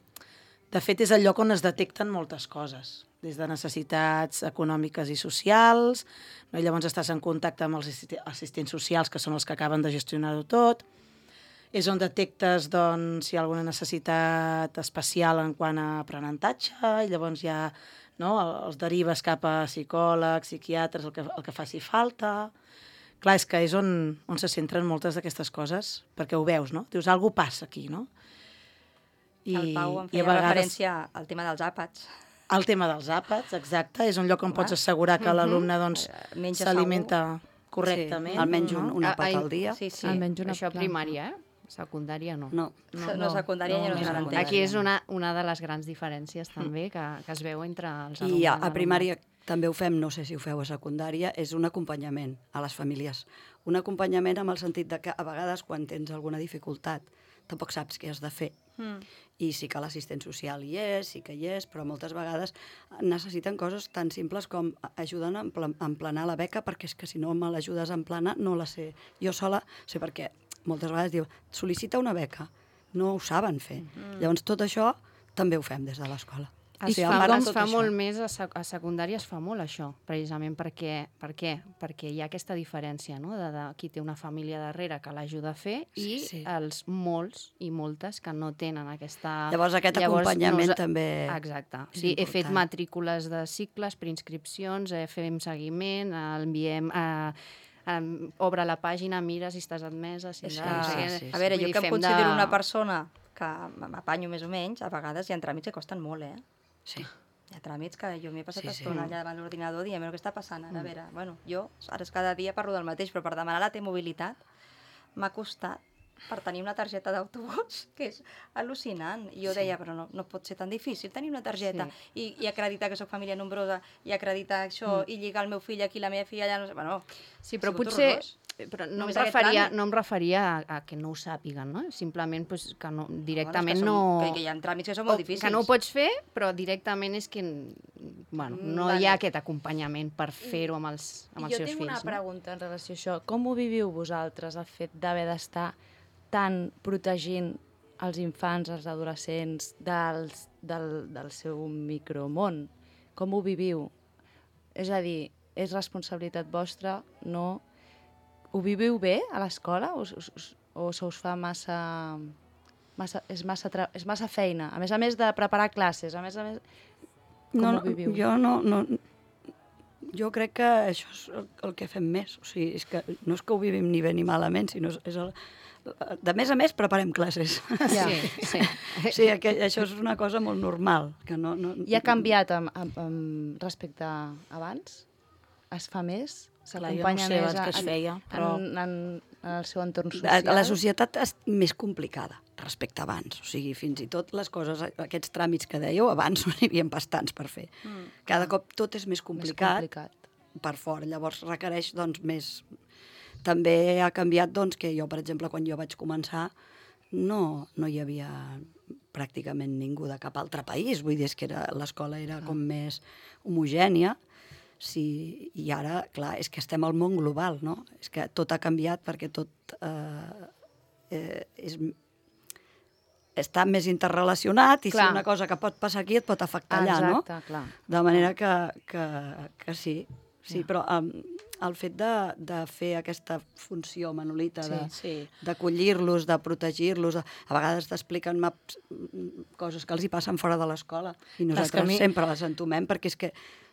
de fet, és el lloc on es detecten moltes coses, des de necessitats econòmiques i socials, no? I llavors estàs en contacte amb els assisti- assistents socials, que són els que acaben de gestionar-ho tot. És on detectes doncs, si hi ha alguna necessitat especial en quant a aprenentatge, i llavors ja no, els derives cap a psicòlegs, psiquiatres, el que, el que faci falta. Clar, és que és on, on se centren moltes d'aquestes coses, perquè ho veus, no? Dius, alguna cosa passa aquí, no? I, el Pau em i a feia vegades- referència al tema dels àpats. El tema dels àpats, exacte, és un lloc on Clar. pots assegurar que l'alumne doncs, Eh, menja s'alimenta correctament. Sí, almenys un, no? un Ah, àpat ai, al dia. Sí, sí. Almenys una Això planta. primària, eh? Secundària no. No. No, no, secundària ja no es no, garanteix. Aquí és una, una de les grans diferències també que, que es veu entre els alumnes. I a, i a alumnes. primària també ho fem, no sé si ho feu a secundària, és un acompanyament a les famílies. Un acompanyament amb el sentit de que a vegades quan tens alguna dificultat tampoc saps què has de fer. Mm. I sí que l'assistent social hi és, sí que hi és, però moltes vegades necessiten coses tan simples com ajudar a empla- a emplenar la beca, perquè és que si no me l'ajudes a emplenar no la sé. Jo sola sé perquè moltes vegades diu, sol·licita una beca, no ho saben fer. Mm. Llavors tot això també ho fem des de l'escola. Es Sí, fa, embarant es tot fa això. molt més, a, sec a secundària es fa molt això, precisament perquè, per què? Perquè hi ha aquesta diferència, no?, de, de qui té una família darrere que l'ajuda a fer i Sí, sí. els molts i moltes que no tenen aquesta... Llavors aquest acompanyament també Exacte. és Sí, he fet important. matrícules de cicles, preinscripcions, eh, fem seguiment, eh, enviem... Eh, Um, obre la pàgina, mira si estàs admesa, si És no, que, no sé què. sí, sí. a veure, Vull jo dir, que em fem considero de- una persona que m'apanyo més o menys, a vegades hi ha tràmits que costen molt, eh? Sí. Hi ha tràmits que jo m'he passat Sí, sí, sí. estona allà davant l'ordinador dient, què està passant ara? A veure, bueno, jo ara és cada dia parlo del mateix, però per demanar la T-mobilitat m'ha costat per tenir una targeta d'autobús, que és al·lucinant. I jo Sí. deia, però no, no pot ser tan difícil tenir una targeta i, i acreditar que sóc família nombrosa, i acreditar això, i lligar el meu fill aquí, la meva filla allà, no sé, bueno... Sí, ha però sigut potser... horrorós. Però no em, Només aquest referia, tràmit. no em referia a, a que no ho sàpiguen, no? Simplement pues, que no, directament Bueno, és que no... Som, que, que hi ha tràmits que són o molt difícils. que no ho pots fer, però directament és que bueno, Mm, no vale. hi ha aquest acompanyament per fer-ho amb els, amb els jo seus tinc fills. una no? pregunta en relació a això. Com ho viviu vosaltres, el fet d'haver d'estar tan protegint els infants, els adolescents, dels, del, del seu micromón? Com ho viviu? És a dir, és responsabilitat vostra, no? Ho viviu bé a l'escola o, o, o se us fa massa... massa és, massa tra... és massa feina? A més a més de preparar classes, a més a més... Com no, ho no, viviu? Jo no, no... Jo crec que això és el, el que fem més. O sigui, és que no és que ho vivim ni bé ni malament, sinó és el, De més a més, preparem classes. Ja. Sí, sí. Sí, que això és una cosa molt normal. Que no, no... I ha canviat amb, amb, amb respecte a abans? Es fa més? Clar, jo no sé abans què es feia, però... En, en, en el seu entorn La, social? la societat és més complicada respecte a abans. O sigui, fins i tot les coses, aquests tràmits que dèieu, abans no n'hi havia bastants per fer. Mm. Cada cop tot és més complicat, Més complicat. per fora. Llavors requereix doncs, més... També ha canviat doncs, que jo, per exemple, quan jo vaig començar, no, no hi havia pràcticament ningú de cap altre país. Vull dir, és que era, l'escola era com més homogènia. Sí, i ara, clar, és que estem al món global, no? És que tot ha canviat perquè tot eh, eh, és, està més interrelacionat i Clar. si una cosa que pot passar aquí et pot afectar allà, no? Exacte, clar. De manera que, que, que sí, sí, Ja. però um, el fet de, de fer aquesta funció, Manolita, de, Sí. d'acollir-los, de protegir-los, de, a vegades t'expliquen maps, mm, coses que els hi passen fora de l'escola i Clar, és que nosaltres a mi- sempre les entomem perquè és que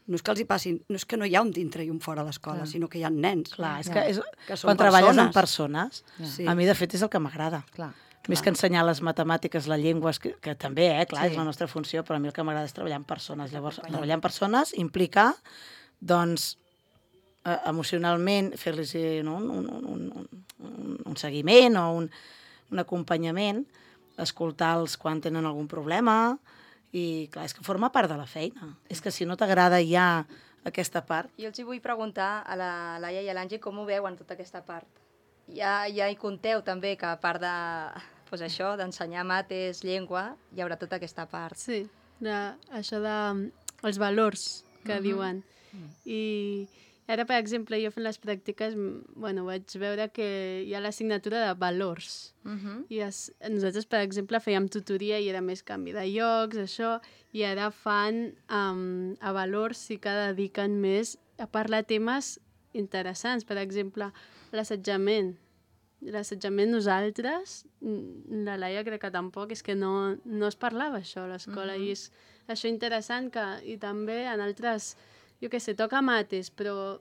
no és que els hi passin, no és que no hi ha un dintre i un fora de l'escola, sinó que hi ha nens. Clar, és Ja. que, és, Que són quan treballes amb persones. persones, Sí. a mi de fet és el que m'agrada. Clar. Més que ensenyar les matemàtiques, les llengües, que, que també, eh, clar, Sí. és la nostra funció, però a mi el que m'agrada és treballar amb persones. Llavors, treballar amb persones implica, doncs, eh, emocionalment fer-los no, un, un, un, un, un seguiment o un, un acompanyament, escoltar-los quan tenen algun problema, i clar, és que forma part de la feina. És que si no t'agrada ja aquesta part... Jo els hi vull preguntar a la Laia i a l'Angie com ho veuen tota aquesta part. Ja, ja hi conteu també que a part de pues això d'ensenyar mates, llengua, hi haurà tota aquesta part. Sí, de, això de els valors que uh -huh. diuen. I ara, per exemple, jo fent les pràctiques, m, bueno, vaig veure que hi ha l'assignatura de valors. Uh -huh. I es, nosaltres, per exemple, fèiem tutoria i era més canvi de llocs, això, i ara fan um, a valors i que dediquen més a parlar temes interessants. Per exemple, l'assetjament. L'assetjament nosaltres, mm, la Laia crec que tampoc, és que no, no es parlava això a l'escola, Mhm. i és això interessant que, i també en altres, jo què sé, toca mates, però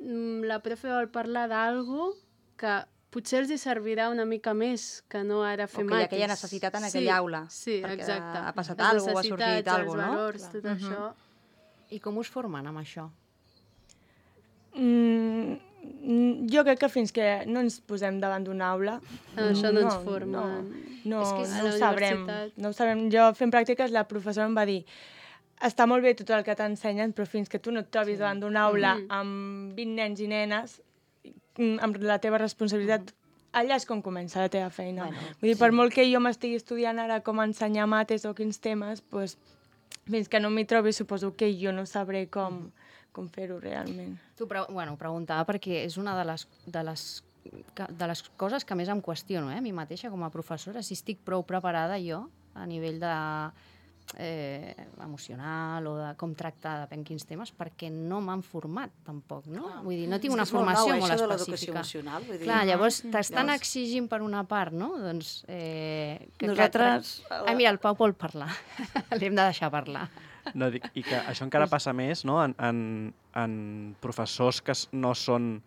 mm, la profe vol parlar d'algo que potser els hi servirà una mica més que no ara fer O que hi ha mates. aquella necessitat en Sí, aquella aula, Sí, perquè exacte. ha passat Les alguna cosa, ha sorgit necessitats, alguna els cosa, no? valors, Clar. tot Mhm. això. I com us formen amb això? Mm, mm, jo crec que fins que no ens posem davant d'una aula... En això no ens formen. No, no, És que és a no la ho sabrem. universitat. No ho sabrem. Jo fent pràctiques la professora em va dir està molt bé tot el que t'ensenyen, però fins que tu no et trobis sí. davant d'una aula Mhm. amb vint nens i nenes, mm, amb la teva responsabilitat, allà és com comença la teva feina. Bueno, Vull dir, per molt que jo m'estigui estudiant ara com ensenyar mates o quins temes, doncs, fins que no m'hi trobi suposo que jo no sabré com, com fer-ho realment. Tu, pre bueno, preguntava perquè és una de les, de les que, de les coses que més em qüestiono, eh, a mi mateixa com a professora, si estic prou preparada jo a nivell de eh, emocional o de com tractar depèn quins temes, perquè no m'han format tampoc, no? Clar. Vull dir, no tinc És una que és molt formació nou, eh, molt això de l'educació específica. emocional, vull dir. Clar, llavors Mhm. t'estan Llavors- exigint per una part, no? Doncs... Eh, que, Nosaltres- Que... Ah, mira, el Pau vol parlar. L'hem de deixar parlar. No, dic, i que això encara passa més no? en, en, en professors que s- no són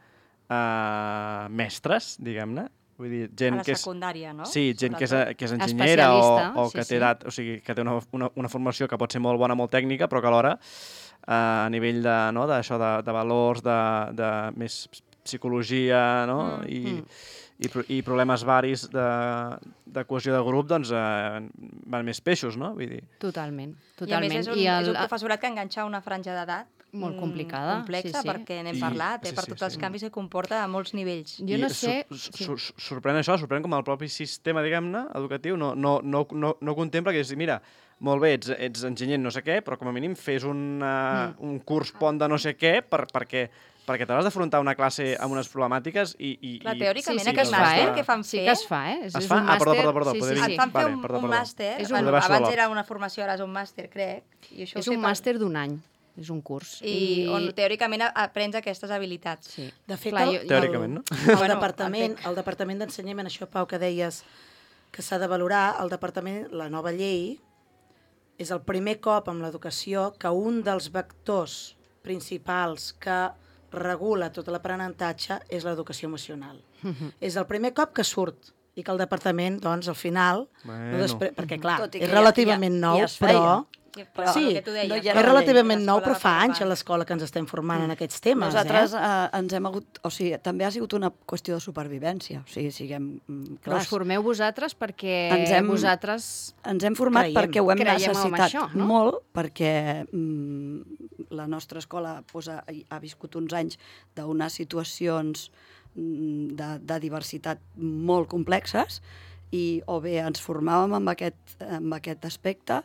uh, mestres, diguem-ne. Vull dir, gent A la que és... secundària, no? Sí, gent que és, Sobretot. que és enginyera o, Especialista, o sí, que sí. té edat, o sigui, que té una, una, una formació que pot ser molt bona, molt tècnica, però que alhora uh, a nivell de, no, d'això de, de valors, de, de més psicologia, no? Mm, I, mm. i, pro- i problemes varis de, de cohesió de grup, doncs eh, van més peixos, no? Vull dir, Totalment, I a més totalment. és un, és un professorat que enganxa una franja d'edat Molt mm, complicada, complexa, sí, sí. perquè n'hem I- parlat, eh, sí, per sí, tots els sí. canvis que comporta a molts nivells. Jo no I sé... Sur, sí. sur, sur, sorprèn això, sorprèn com el propi sistema, diguem-ne, educatiu, no, no, no, no, no contempla que és dir, mira, molt bé, ets, ets enginyer en no sé què, però com a mínim fes una, Mm. un curs pont de no sé què per, perquè, perquè t'hauràs d'afrontar una classe amb unes problemàtiques i... i Clar, i- teòricament Sí, sí, aquest que es fa, màster eh? que fan Sí fer... que es fa, eh? És, Es és fa? un Ah, perdó, màster... perdó, perdó, sí, poder sí, dir- sí. Et fan fer Vale, un, perdó, un perdó. màster, És un- bueno, Poder va ser abans l'O T. era una formació, ara és un màster, crec. I això ho És sé un per- màster d'un any, és un curs. I, on teòricament aprens aquestes habilitats. Sí. De fet, Clar, el, jo- Teòricament, no? el, el, Bueno, departament, entenc. el departament d'ensenyament, això, Pau, que deies que s'ha de valorar, el departament, la nova llei, és el primer cop amb l'educació que un dels vectors principals que regula tot l'aprenentatge és l'educació emocional. És el primer cop que surt i que el departament, doncs, al final, Bueno. no després, perquè clar, Tot i que és ja- relativament ja- nou, ja es feia. però... Però Sí, el que tu deies, no hi És era la relativament llei, nou, l'escola però fa va anys a preocupant. l'escola que ens estem formant en aquests temes, Nosaltres eh? eh, ens hem hagut... O sigui, també ha sigut una qüestió de supervivència. O sigui, siguem mm, Però us clars. formeu vosaltres perquè Ens hem- vosaltres... Ens hem format Creiem. perquè ho hem Creiem en necessitat això, no? molt, perquè mm, la nostra escola pues, ha, ha viscut uns anys d'unes situacions mm, de, de diversitat molt complexes i o bé ens formàvem amb aquest, amb aquest aspecte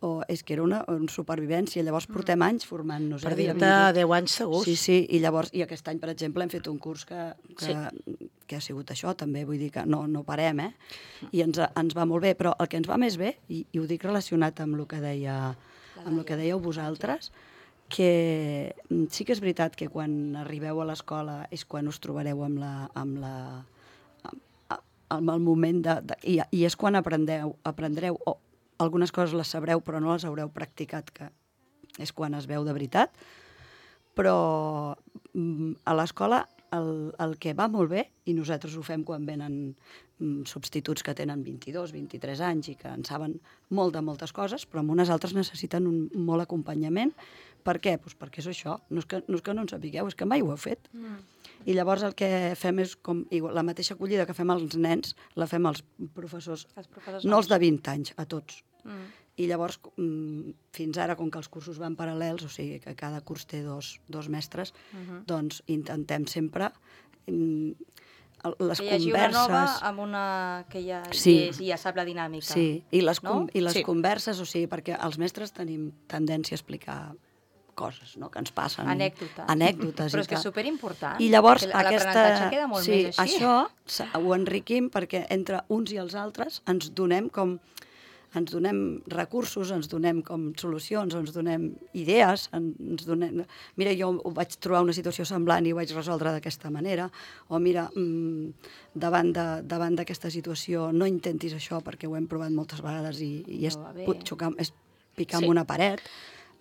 o és que era una, una supervivència. Llavors portem anys formant-nos. Per eh? dir-te Vingut- deu anys segurs. Sí, sí, i llavors, i aquest any, per exemple, hem fet un curs que, que, sí. que ha sigut això, també, vull dir que no, no parem, eh? I ens, ens va molt bé, però el que ens va més bé, i, i ho dic relacionat amb el que deia, amb el que dèieu vosaltres, que sí que és veritat que quan arribeu a l'escola és quan us trobareu amb la... Amb la amb, amb el moment de... de i, I és quan aprendeu, aprendreu, o algunes coses les sabreu però no les haureu practicat, que és quan es veu de veritat, però mm, a l'escola el, el que va molt bé, i nosaltres ho fem quan venen mm, substituts que tenen vint-i-dos, vint-i-tres anys i que en saben molt de moltes coses, però amb unes altres necessiten un molt acompanyament. Per què? Pues perquè és això, no és, que, no és que no en sapigueu, és que mai ho heu fet. Mm. I llavors el que fem és, com igual, la mateixa acollida que fem als nens, la fem als professors, Els professors no els de vint anys, a tots. Mm. I llavors, mm, fins ara, com que els cursos van paral·lels, o sigui que cada curs té dos, dos mestres, uh -huh. doncs intentem sempre mm, les Que hi hagi converses... una nova amb una que ja, Sí. és, ja sap la dinàmica. Sí, i les, No? com, i les Sí. converses, o sigui, perquè els mestres tenim tendència a explicar coses, no?, que ens passen. Anècdotes. Anècdotes. Però i és que és tal. superimportant. I llavors que aquesta... l'aprenentatge queda molt sí, més així. això s- ho enriquim perquè entre uns i els altres ens donem com ens donem recursos, ens donem com solucions, ens donem idees, ens donem... Mira, jo vaig trobar una situació semblant i ho vaig resoldre d'aquesta manera, o mira, mmm, davant de, davant d'aquesta situació no intentis això perquè ho hem provat moltes vegades i, i és, No va bé. pot xocar, és picar Sí. amb una paret,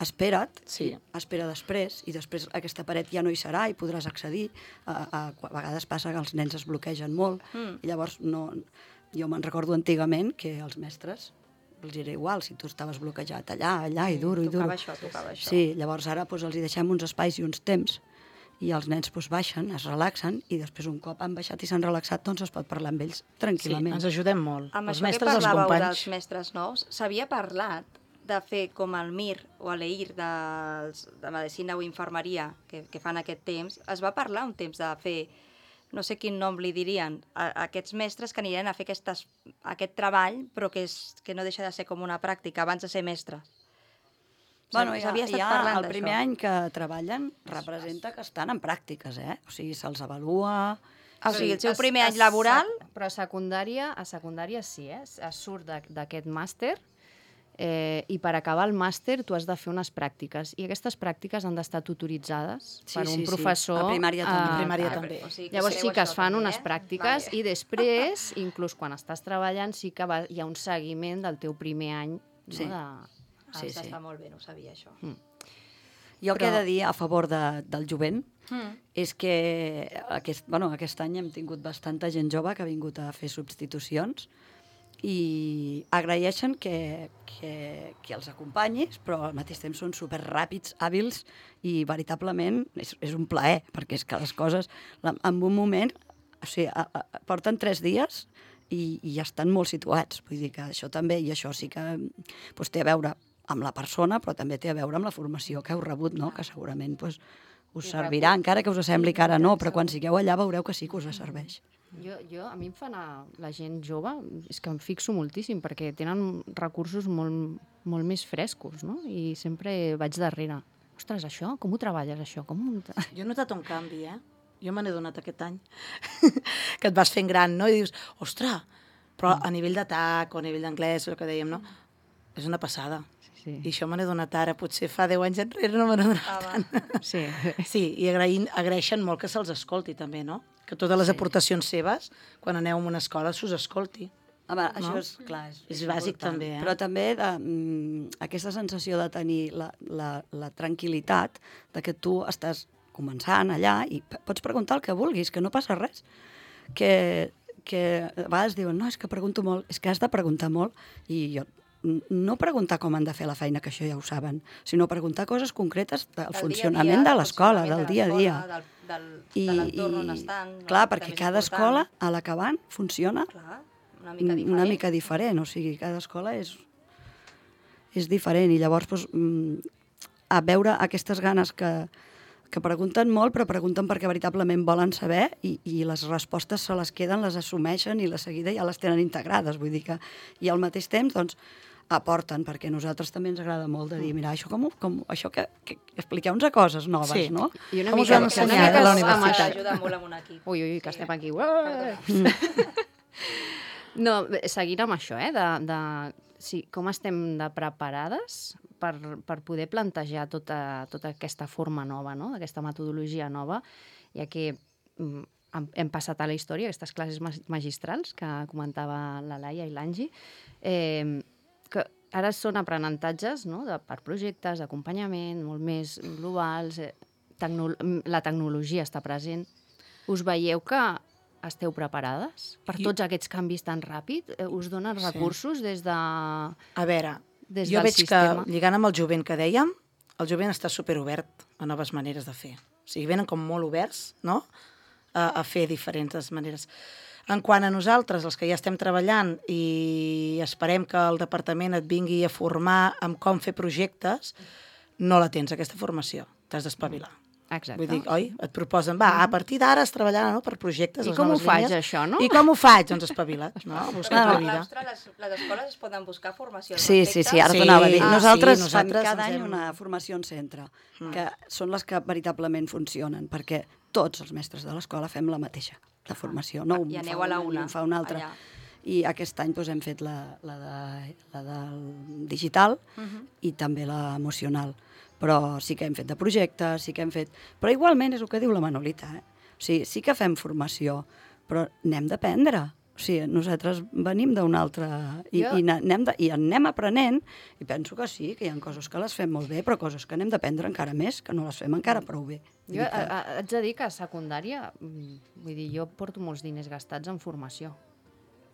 espera't, Sí. espera després, i després aquesta paret ja no hi serà i podràs accedir. A, a, a vegades passa que els nens es bloquegen molt, Mm. i llavors no... Jo me'n recordo antigament que els mestres els era igual, si tu estaves bloquejat allà, allà, i duro, i duro. Tocava això, tocava això. Sí, llavors ara doncs, els hi deixem uns espais i uns temps, i els nens doncs, baixen, es relaxen, i després un cop han baixat i s'han relaxat, doncs es pot parlar amb ells Sí, tranquil·lament. ens ajudem molt. Amb els això que mestres, els parlàveu companys. dels mestres nous, s'havia parlat de fer com el M I R o l'E I R dels, de Medicina o Infermeria, que, que fan aquest temps, es va parlar un temps de fer, no sé quin nom li dirien, a, a aquests mestres que anirien a fer aquestes, aquest treball, però que, és, que no deixa de ser com una pràctica abans de ser mestres. Bueno, ja, S'havia estat ja parlant el primer d'això. any que treballen representa que estan en pràctiques, eh? O sigui, se'ls avalua... O sigui, el seu Es- primer es- any laboral... Però a secundària, a secundària sí, eh? Es surt de- d'aquest màster eh, i per acabar el màster tu has de fer unes pràctiques i aquestes pràctiques han d'estar tutoritzades Sí, per sí, un sí. professor. A primària també. eh, A primària eh, també. O sigui, Llavors sí sabeu que això es fan també, unes eh? pràctiques Vale. i després, inclús quan estàs treballant, sí que va, hi ha un seguiment del teu primer any. No? Sí. De... Ah, Sí, està, sí. està molt bé, no ho sabia això. Jo el que he Però- de dir a favor de, del jovent Mm. és que aquest, bueno, aquest any hem tingut bastanta gent jove que ha vingut a fer substitucions i agraeixen que, que, que els acompanyis, però al mateix temps són superràpids, hàbils, i veritablement és, és un plaer, perquè és que les coses, la, en un moment, o sigui, a, a, porten tres dies i, i ja estan molt situats. Vull dir que això també, i això sí que doncs, té a veure amb la persona, però també té a veure amb la formació que heu rebut, no? Que segurament doncs, us servirà, encara que us sembli que ara no, però quan sigueu allà veureu que sí que us serveix. Jo, jo, a mi em fa anar la gent jove, és que em fixo moltíssim, perquè tenen recursos molt, molt més frescos, no? I sempre vaig darrere. Ostres, això, com ho treballes, això? Com ho... Jo he notat un canvi, eh? Jo me n'he donat aquest any. Que et vas fent gran, no? I dius, ostres, però a nivell d'atac o a nivell d'anglès, el que dèiem, no? És una passada. Sí. I això me n'he donat ara. Potser fa deu anys enrere no me n'he donat tant. Sí. Sí, i agraïn, agraeixen molt que se'ls escolti també, no? Que totes les Sí. aportacions seves, quan aneu a una escola, s'us escolti. Home, No? això és clar. És, És bàsic important. també, eh? Però també de, mm, aquesta sensació de tenir la, la, la tranquil·litat de que tu estàs començant allà i p- pots preguntar el que vulguis, que no passa res. Que, que a vegades diuen, no, és que pregunto molt, és que has de preguntar molt, i jo no preguntar com han de fer la feina, que això ja ho saben, sinó preguntar coses concretes del, del funcionament dia -dia, de l'escola, del dia a dia. Del, del, I, de l'entorn on estan. No? Clar, perquè cada escola, a l'acabant, funciona clar, una mica diferent. Una mica diferent, o sigui, cada escola és, és diferent, i llavors doncs, a veure aquestes ganes que, que pregunten molt, però pregunten perquè veritablement volen saber, i, i les respostes se les queden, les assumeixen, i la seguida ja les tenen integrades, vull dir que, i al mateix temps, doncs, aporten, perquè a nosaltres també ens agrada molt de dir, mira, això com, com això que, que expliqueu-nos coses noves, sí. no? I una com mica, us vam ensenyar a la universitat? Ajuda molt amb un equip. Ui, ui, que estem aquí. No, seguint amb això, eh, de, de sí, com estem de preparades per, per poder plantejar tota, tota aquesta forma nova, no? Aquesta metodologia nova, ja que mm, hem passat a la història, aquestes classes magistrals que comentava la Laia i l'Angi, eh, que ara són aprenentatges, no?, de, per projectes, d'acompanyament, molt més globals, eh, tecno la tecnologia està present. Us veieu que esteu preparades per tots aquests canvis tan ràpid? Us donen recursos sí. des de... A veure, des jo del veig sistema? que, lligant amb el jovent que dèiem, el jovent està superobert a noves maneres de fer. O sigui, venen com molt oberts, no?, a, a fer diferents maneres. En quant a nosaltres, els que ja estem treballant i esperem que el departament et vingui a formar amb com fer projectes, no la tens, aquesta formació. T'has d'espavilar. Exacte. Vull dir, oi? Et proposen, va, a partir d'ara es treballarà, no?, per projectes, I les com ho noves faig, línies. això, no? I com ho faig? Doncs espavila't, no? Busca Al la vida. claustre, les, les escoles es poden buscar formació al Sí, respecte? sí, sí, ara Sí. t'ho anava a dir. Ah, nosaltres, sí, fem nosaltres cada ens any hem- una formació en centre, que són les que veritablement funcionen, perquè tots els mestres de l'escola fem la mateixa, la formació. No un I fa aneu a la una ni una, un fa una altra. allà. I aquest any doncs, hem fet la, la, de, la del digital uh -huh. i també la emocional. Però sí que hem fet de projectes, sí que hem fet... Però igualment és el que diu la Manolita, eh? O sigui, sí que fem formació, però n'hem d'aprendre. O sigui, nosaltres venim d'una altra... I, Jo... i, anem de, I anem aprenent, i penso que sí, que hi ha coses que les fem molt bé, però coses que n'hem d'aprendre encara més, que no les fem encara prou bé. Jo a, a, haig de dir que a secundària, mm, vull dir, jo porto molts diners gastats en formació.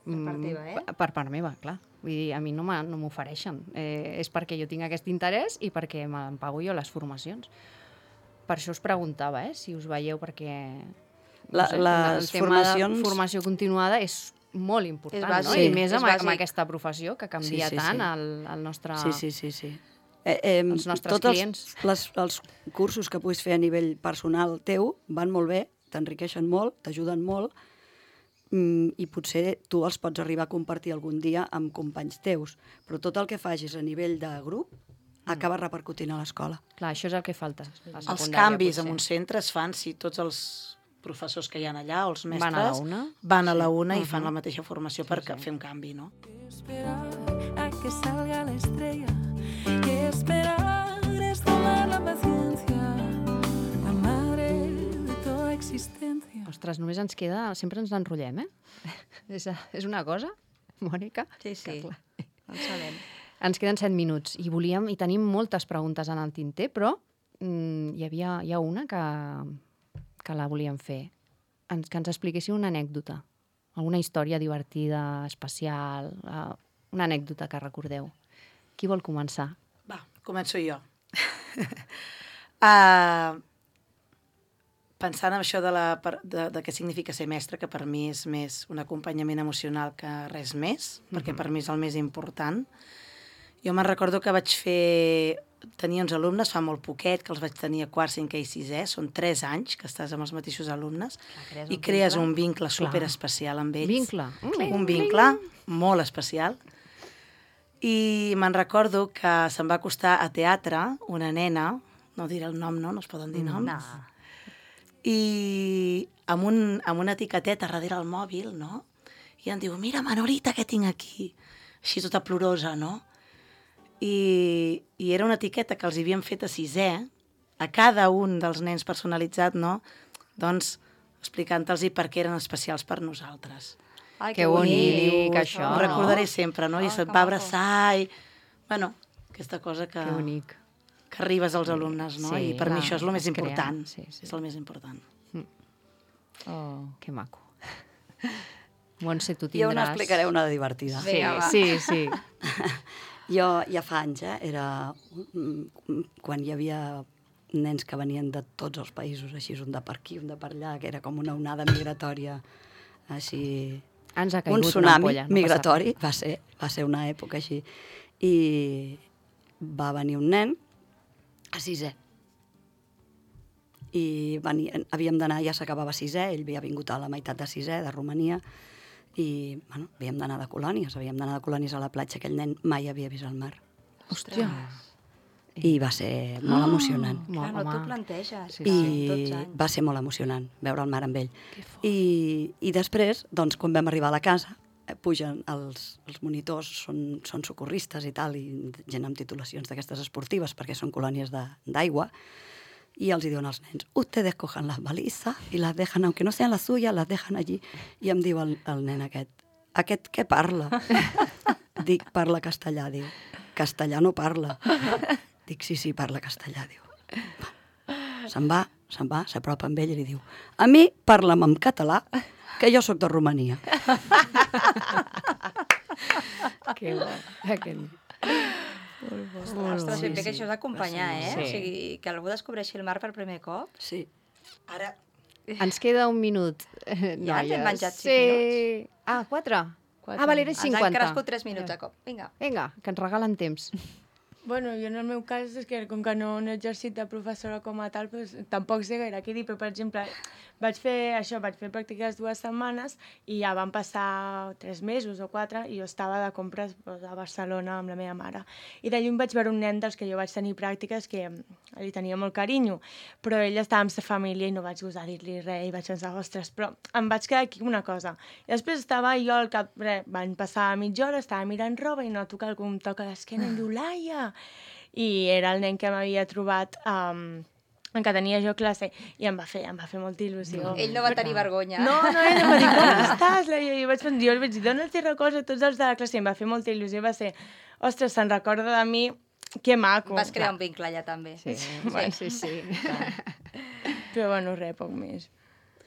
Per part teva, eh? Per, per part meva, clar. Vull dir, a mi no m'ofereixen. Eh, és perquè jo tinc aquest interès i perquè me'n pago jo les formacions. Per això us preguntava, eh, si us veieu, perquè... No La, sé, les el tema formacions... de formació continuada és molt important, És bàsic, no? sí, I més és amb, bàsic. amb aquesta professió que canvia Sí, sí, tant sí. el, el nostre... Sí, sí, sí, sí. Eh, eh, Els nostres tots clients. Els, les, els cursos que puguis fer a nivell personal teu van molt bé, t'enriqueixen molt, t'ajuden molt, mm, i potser tu els pots arribar a compartir algun dia amb companys teus, però tot el que facis a nivell de grup acaba repercutint a l'escola. Clar, això és el que falta. a Els secundària, canvis potser. en un centre es fan si tots els professors que hi ha allà, o els mestres, Van a la una? van a la una Sí. i fan Uh-huh. la mateixa formació per fer un canvi, no? Esperar a que salga la estrella y esperar es tomar la paciencia, la madre de toda existencia. Ostres, només ens queda... Sempre ens enrotllem, eh? és, és una cosa, Mònica? Sí, sí, Que, clar, en sabem. ens queden set minuts i volíem i tenim moltes preguntes en el tinter, però mm, hi havia hi ha una que, que la volíem fer. Ens, que ens expliquéssiu una anècdota, alguna història divertida, especial, uh, una anècdota que recordeu. Qui vol començar? Va, començo jo. uh, pensant en això de, la, de, de què significa ser mestre, que per mi és més un acompanyament emocional que res més, mm-hmm. perquè per mi és el més important. Jo me'n recordo que vaig fer... Tenia uns alumnes fa molt poquet, que els vaig tenir a quart, cinquè i sisè. Són tres anys que estàs amb els mateixos alumnes crees i un crees vincle. un vincle superespecial amb ells. Vincle. Mm. Un vincle molt especial. I me'n recordo que se'm va acostar a teatre una nena, no diré el nom, no? No es poden dir noms. No. I amb, un, amb una etiqueteta darrere el mòbil, no? I em diu, mira, Manolita, què tinc aquí? Així tota plorosa, no? I, i era una etiqueta que els havíem fet a sisè, a cada un dels nens personalitzat, no? Doncs explicant-los per què eren especials per nosaltres. Ai, Que bonic, això, Ho no? recordaré sempre, no? I Ah, se't que va maco. abraçar i... Bueno, aquesta cosa que, Que bonic. que arribes als alumnes, no? Sí, I per clar, mi això és el més es crea, important. sí, sí. És el més important. Oh. Que maco. Montse, tu Jo tindràs... n'explicaré una divertida. Sí, Vinga, va. sí, sí. Jo ja fa anys, eh, era quan hi havia nens que venien de tots els països, així, un de per aquí, un de per allà, que era com una onada migratòria, així... Ens ha Un caigut una tsunami ampolla. No migratori, va ser, va ser una època així. I va venir un nen a sisè. I venia, havíem d'anar, ja s'acabava sisè, ell havia vingut a la meitat de sisè, de Romania, i bueno, havíem d'anar de colònies, havíem d'anar de colònies a la platja, aquell nen mai havia vist el mar. Hòstia. I va ser molt emocionant. Clar, no t'ho Home. planteges. Sí, fa I dotze anys. va ser molt emocionant veure el mar amb ell. I, I després, doncs, quan vam arribar a la casa, eh, pugen els, els monitors, són, són socorristes i tal, i gent amb titulacions d'aquestes esportives, perquè són colònies de- d'aigua, i els hi diuen als nens, ustedes cojan las balizas y las dejan, aunque no sean las suyas, las dejan allí. I em diu el, el nen aquest, aquest què parla? Dic, parla castellà, diu. Castellà no parla. Dic, sí, sí, parla castellà, diu. Se'n va, se'n va, s'apropa amb ell i li diu, a mi parla'm en català, que jo sóc de Romania. Que bo. Aquell... Ostres, ben bé que això és d'acompanyar, eh? Sí. O sigui, que algú descobreixi el mar per primer cop. Sí. Ara, Ens queda un minut, eh, Ja ens hem noies. menjat cinc sí. Ah, quatre? Quatre. Ah, vale, era Ens cinquanta. han crescut tres minuts a cop. Vinga. Vinga, que ens regalen temps. Bueno, jo en el meu cas és que com que no, no he exercit de professora com a tal, doncs, tampoc sé gaire què dir, però per exemple vaig fer això, vaig fer pràctiques dues setmanes i ja van passar tres mesos o quatre i jo estava de compres doncs, a Barcelona amb la meva mare. I de lluny vaig veure un nen dels que jo vaig tenir pràctiques que li tenia molt carinyo, però ell estava amb sa família i no vaig gosar dir-li res i vaig pensar, ostres, però em vaig quedar aquí una cosa. I després estava jo al cap, res, van passar mitja hora, estava mirant roba i noto que algú em toca l'esquena i em diu, Laia! I era el nen que m'havia trobat um, en què tenia jo classe i em va fer, em va fer molta il·lusió. Ell no va tenir vergonya. No, no, ell em va dir, com estàs? Laia? I jo vaig pensar, jo vaig dir, dona'ls records a tots els de la classe i em va fer molta il·lusió i va ser, ostres, se'n recorda de mi, que maco. Vas crear un vincle allà també. Sí, sí, sí. sí. Però bueno, res, poc més.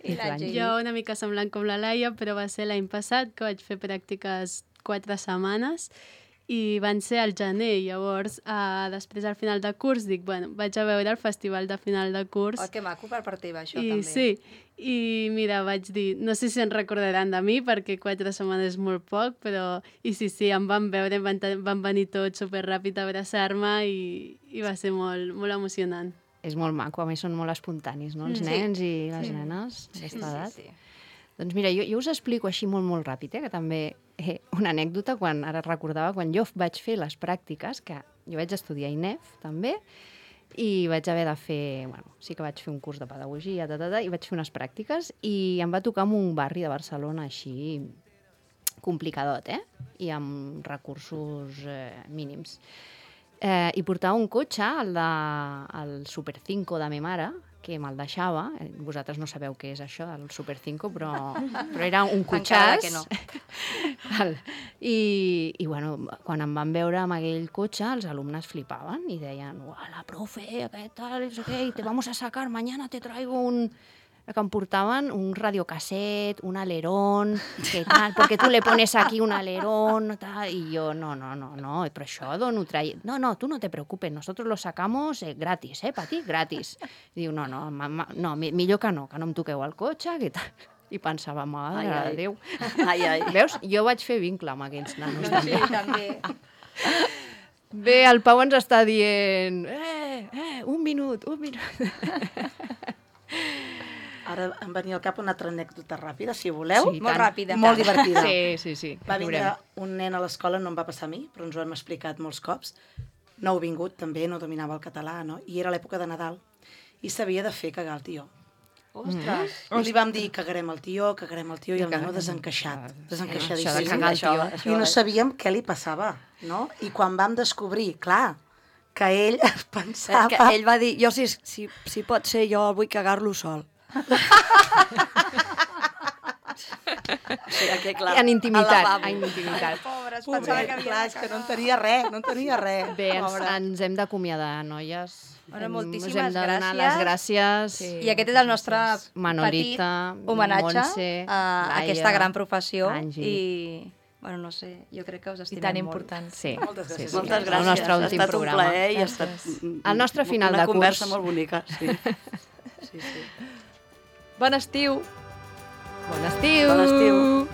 I l'Angie? Jo una mica semblant com la Laia, però va ser l'any passat que vaig fer pràctiques quatre setmanes i van ser al gener. Llavors, eh, després al final de curs, dic, bueno, vaig a veure el festival de final de curs. Oh, que maco per part teva, això, I també. sí, i mira, vaig dir, no sé si en recordaran de mi, perquè quatre setmanes és molt poc, però, i sí, sí, em van veure, van, van venir tots superràpid a abraçar-me i, i va ser molt, molt emocionant. És molt maco, a més són molt espontanis, no? Els Sí. nens i les nenes d'aquesta Sí, edat. sí, sí. Doncs mira, jo, jo us explico així molt, molt ràpid, eh, que també eh, una anècdota, quan ara recordava, quan jo vaig fer les pràctiques, que jo vaig estudiar a I N E F, també, i vaig haver de fer, bueno, sí que vaig fer un curs de pedagogia, ta, ta, ta, i vaig fer unes pràctiques, i em va tocar en un barri de Barcelona així complicadot, eh? I amb recursos eh, mínims. Eh, I portava un cotxe, el, de, el Super cinco de ma mare, que me'l deixava. Eh, Vosaltres no sabeu què és això, el Super cinco, però, però era un Encara cotxàs. que no. Val. I, I, bueno, quan em van veure amb aquell cotxe, els alumnes flipaven i deien, la profe, aquest tal, no sé què, te vamos a sacar, mañana te traigo un... que em portaven un radiocasset, un alerón, que tal, perquè tu le pones aquí un alerón, tal, i jo, no, no, no, no, però això d'on ho traie? No, no, tu no te preocupes, nosotros lo sacamos eh, gratis, eh, pa ti, gratis. I diu, no, no, ma, ma, no, mi- millor que no, que no em toqueu el cotxe, que tal. I pensava, mare Ai, ai. de Déu. Ai, ai. Veus? Jo vaig fer vincle amb aquells nanos, també. Sí, també. Bé, el Pau ens està dient, eh, eh, un minut, un minut. ara em venia al cap una altra anècdota ràpida, si voleu. Sí, Molt tant. ràpida. Molt divertida. Sí, sí, sí. Va vindre Veurem. un nen a l'escola, no em va passar a mi, però ens ho hem explicat molts cops. No heu vingut, també, no dominava el català, no? I era l'època de Nadal. I s'havia de fer cagar el tió. Ostres. I li vam dir, cagarem el tió, cagarem el tió, i el nano desencaixat, Això de desencaixadíssim. cagar el tió. Això, I no sabíem què li passava, no? I quan vam descobrir, clar, que ell pensava... Que ell va dir, jo si, si, si pot ser, jo vull cagar-lo sol. O sigui, que, clar, En intimitat, al lavabo. en intimitat. Pobres, Pobre, pensava que havia clar, és que no en tenia res, no en tenia res. Bé, ens, Pobre. ens hem d'acomiadar, noies. Bueno, Hem- moltíssimes us hem de donar gràcies. les gràcies. Sí. I aquest és el nostre Manolita, petit homenatge Montse, a Laia, aquesta gran professió Àngel. i, bueno, no sé, jo crec que us I estimem tan molt. important. Sí, Moltes sí, gràcies. sí. Moltes gràcies. El nostre ha últim estat programa. un plaer i ha estat El nostre final una de curs. conversa molt bonica, sí. sí, sí. Bon estiu! Bon estiu! Bon estiu.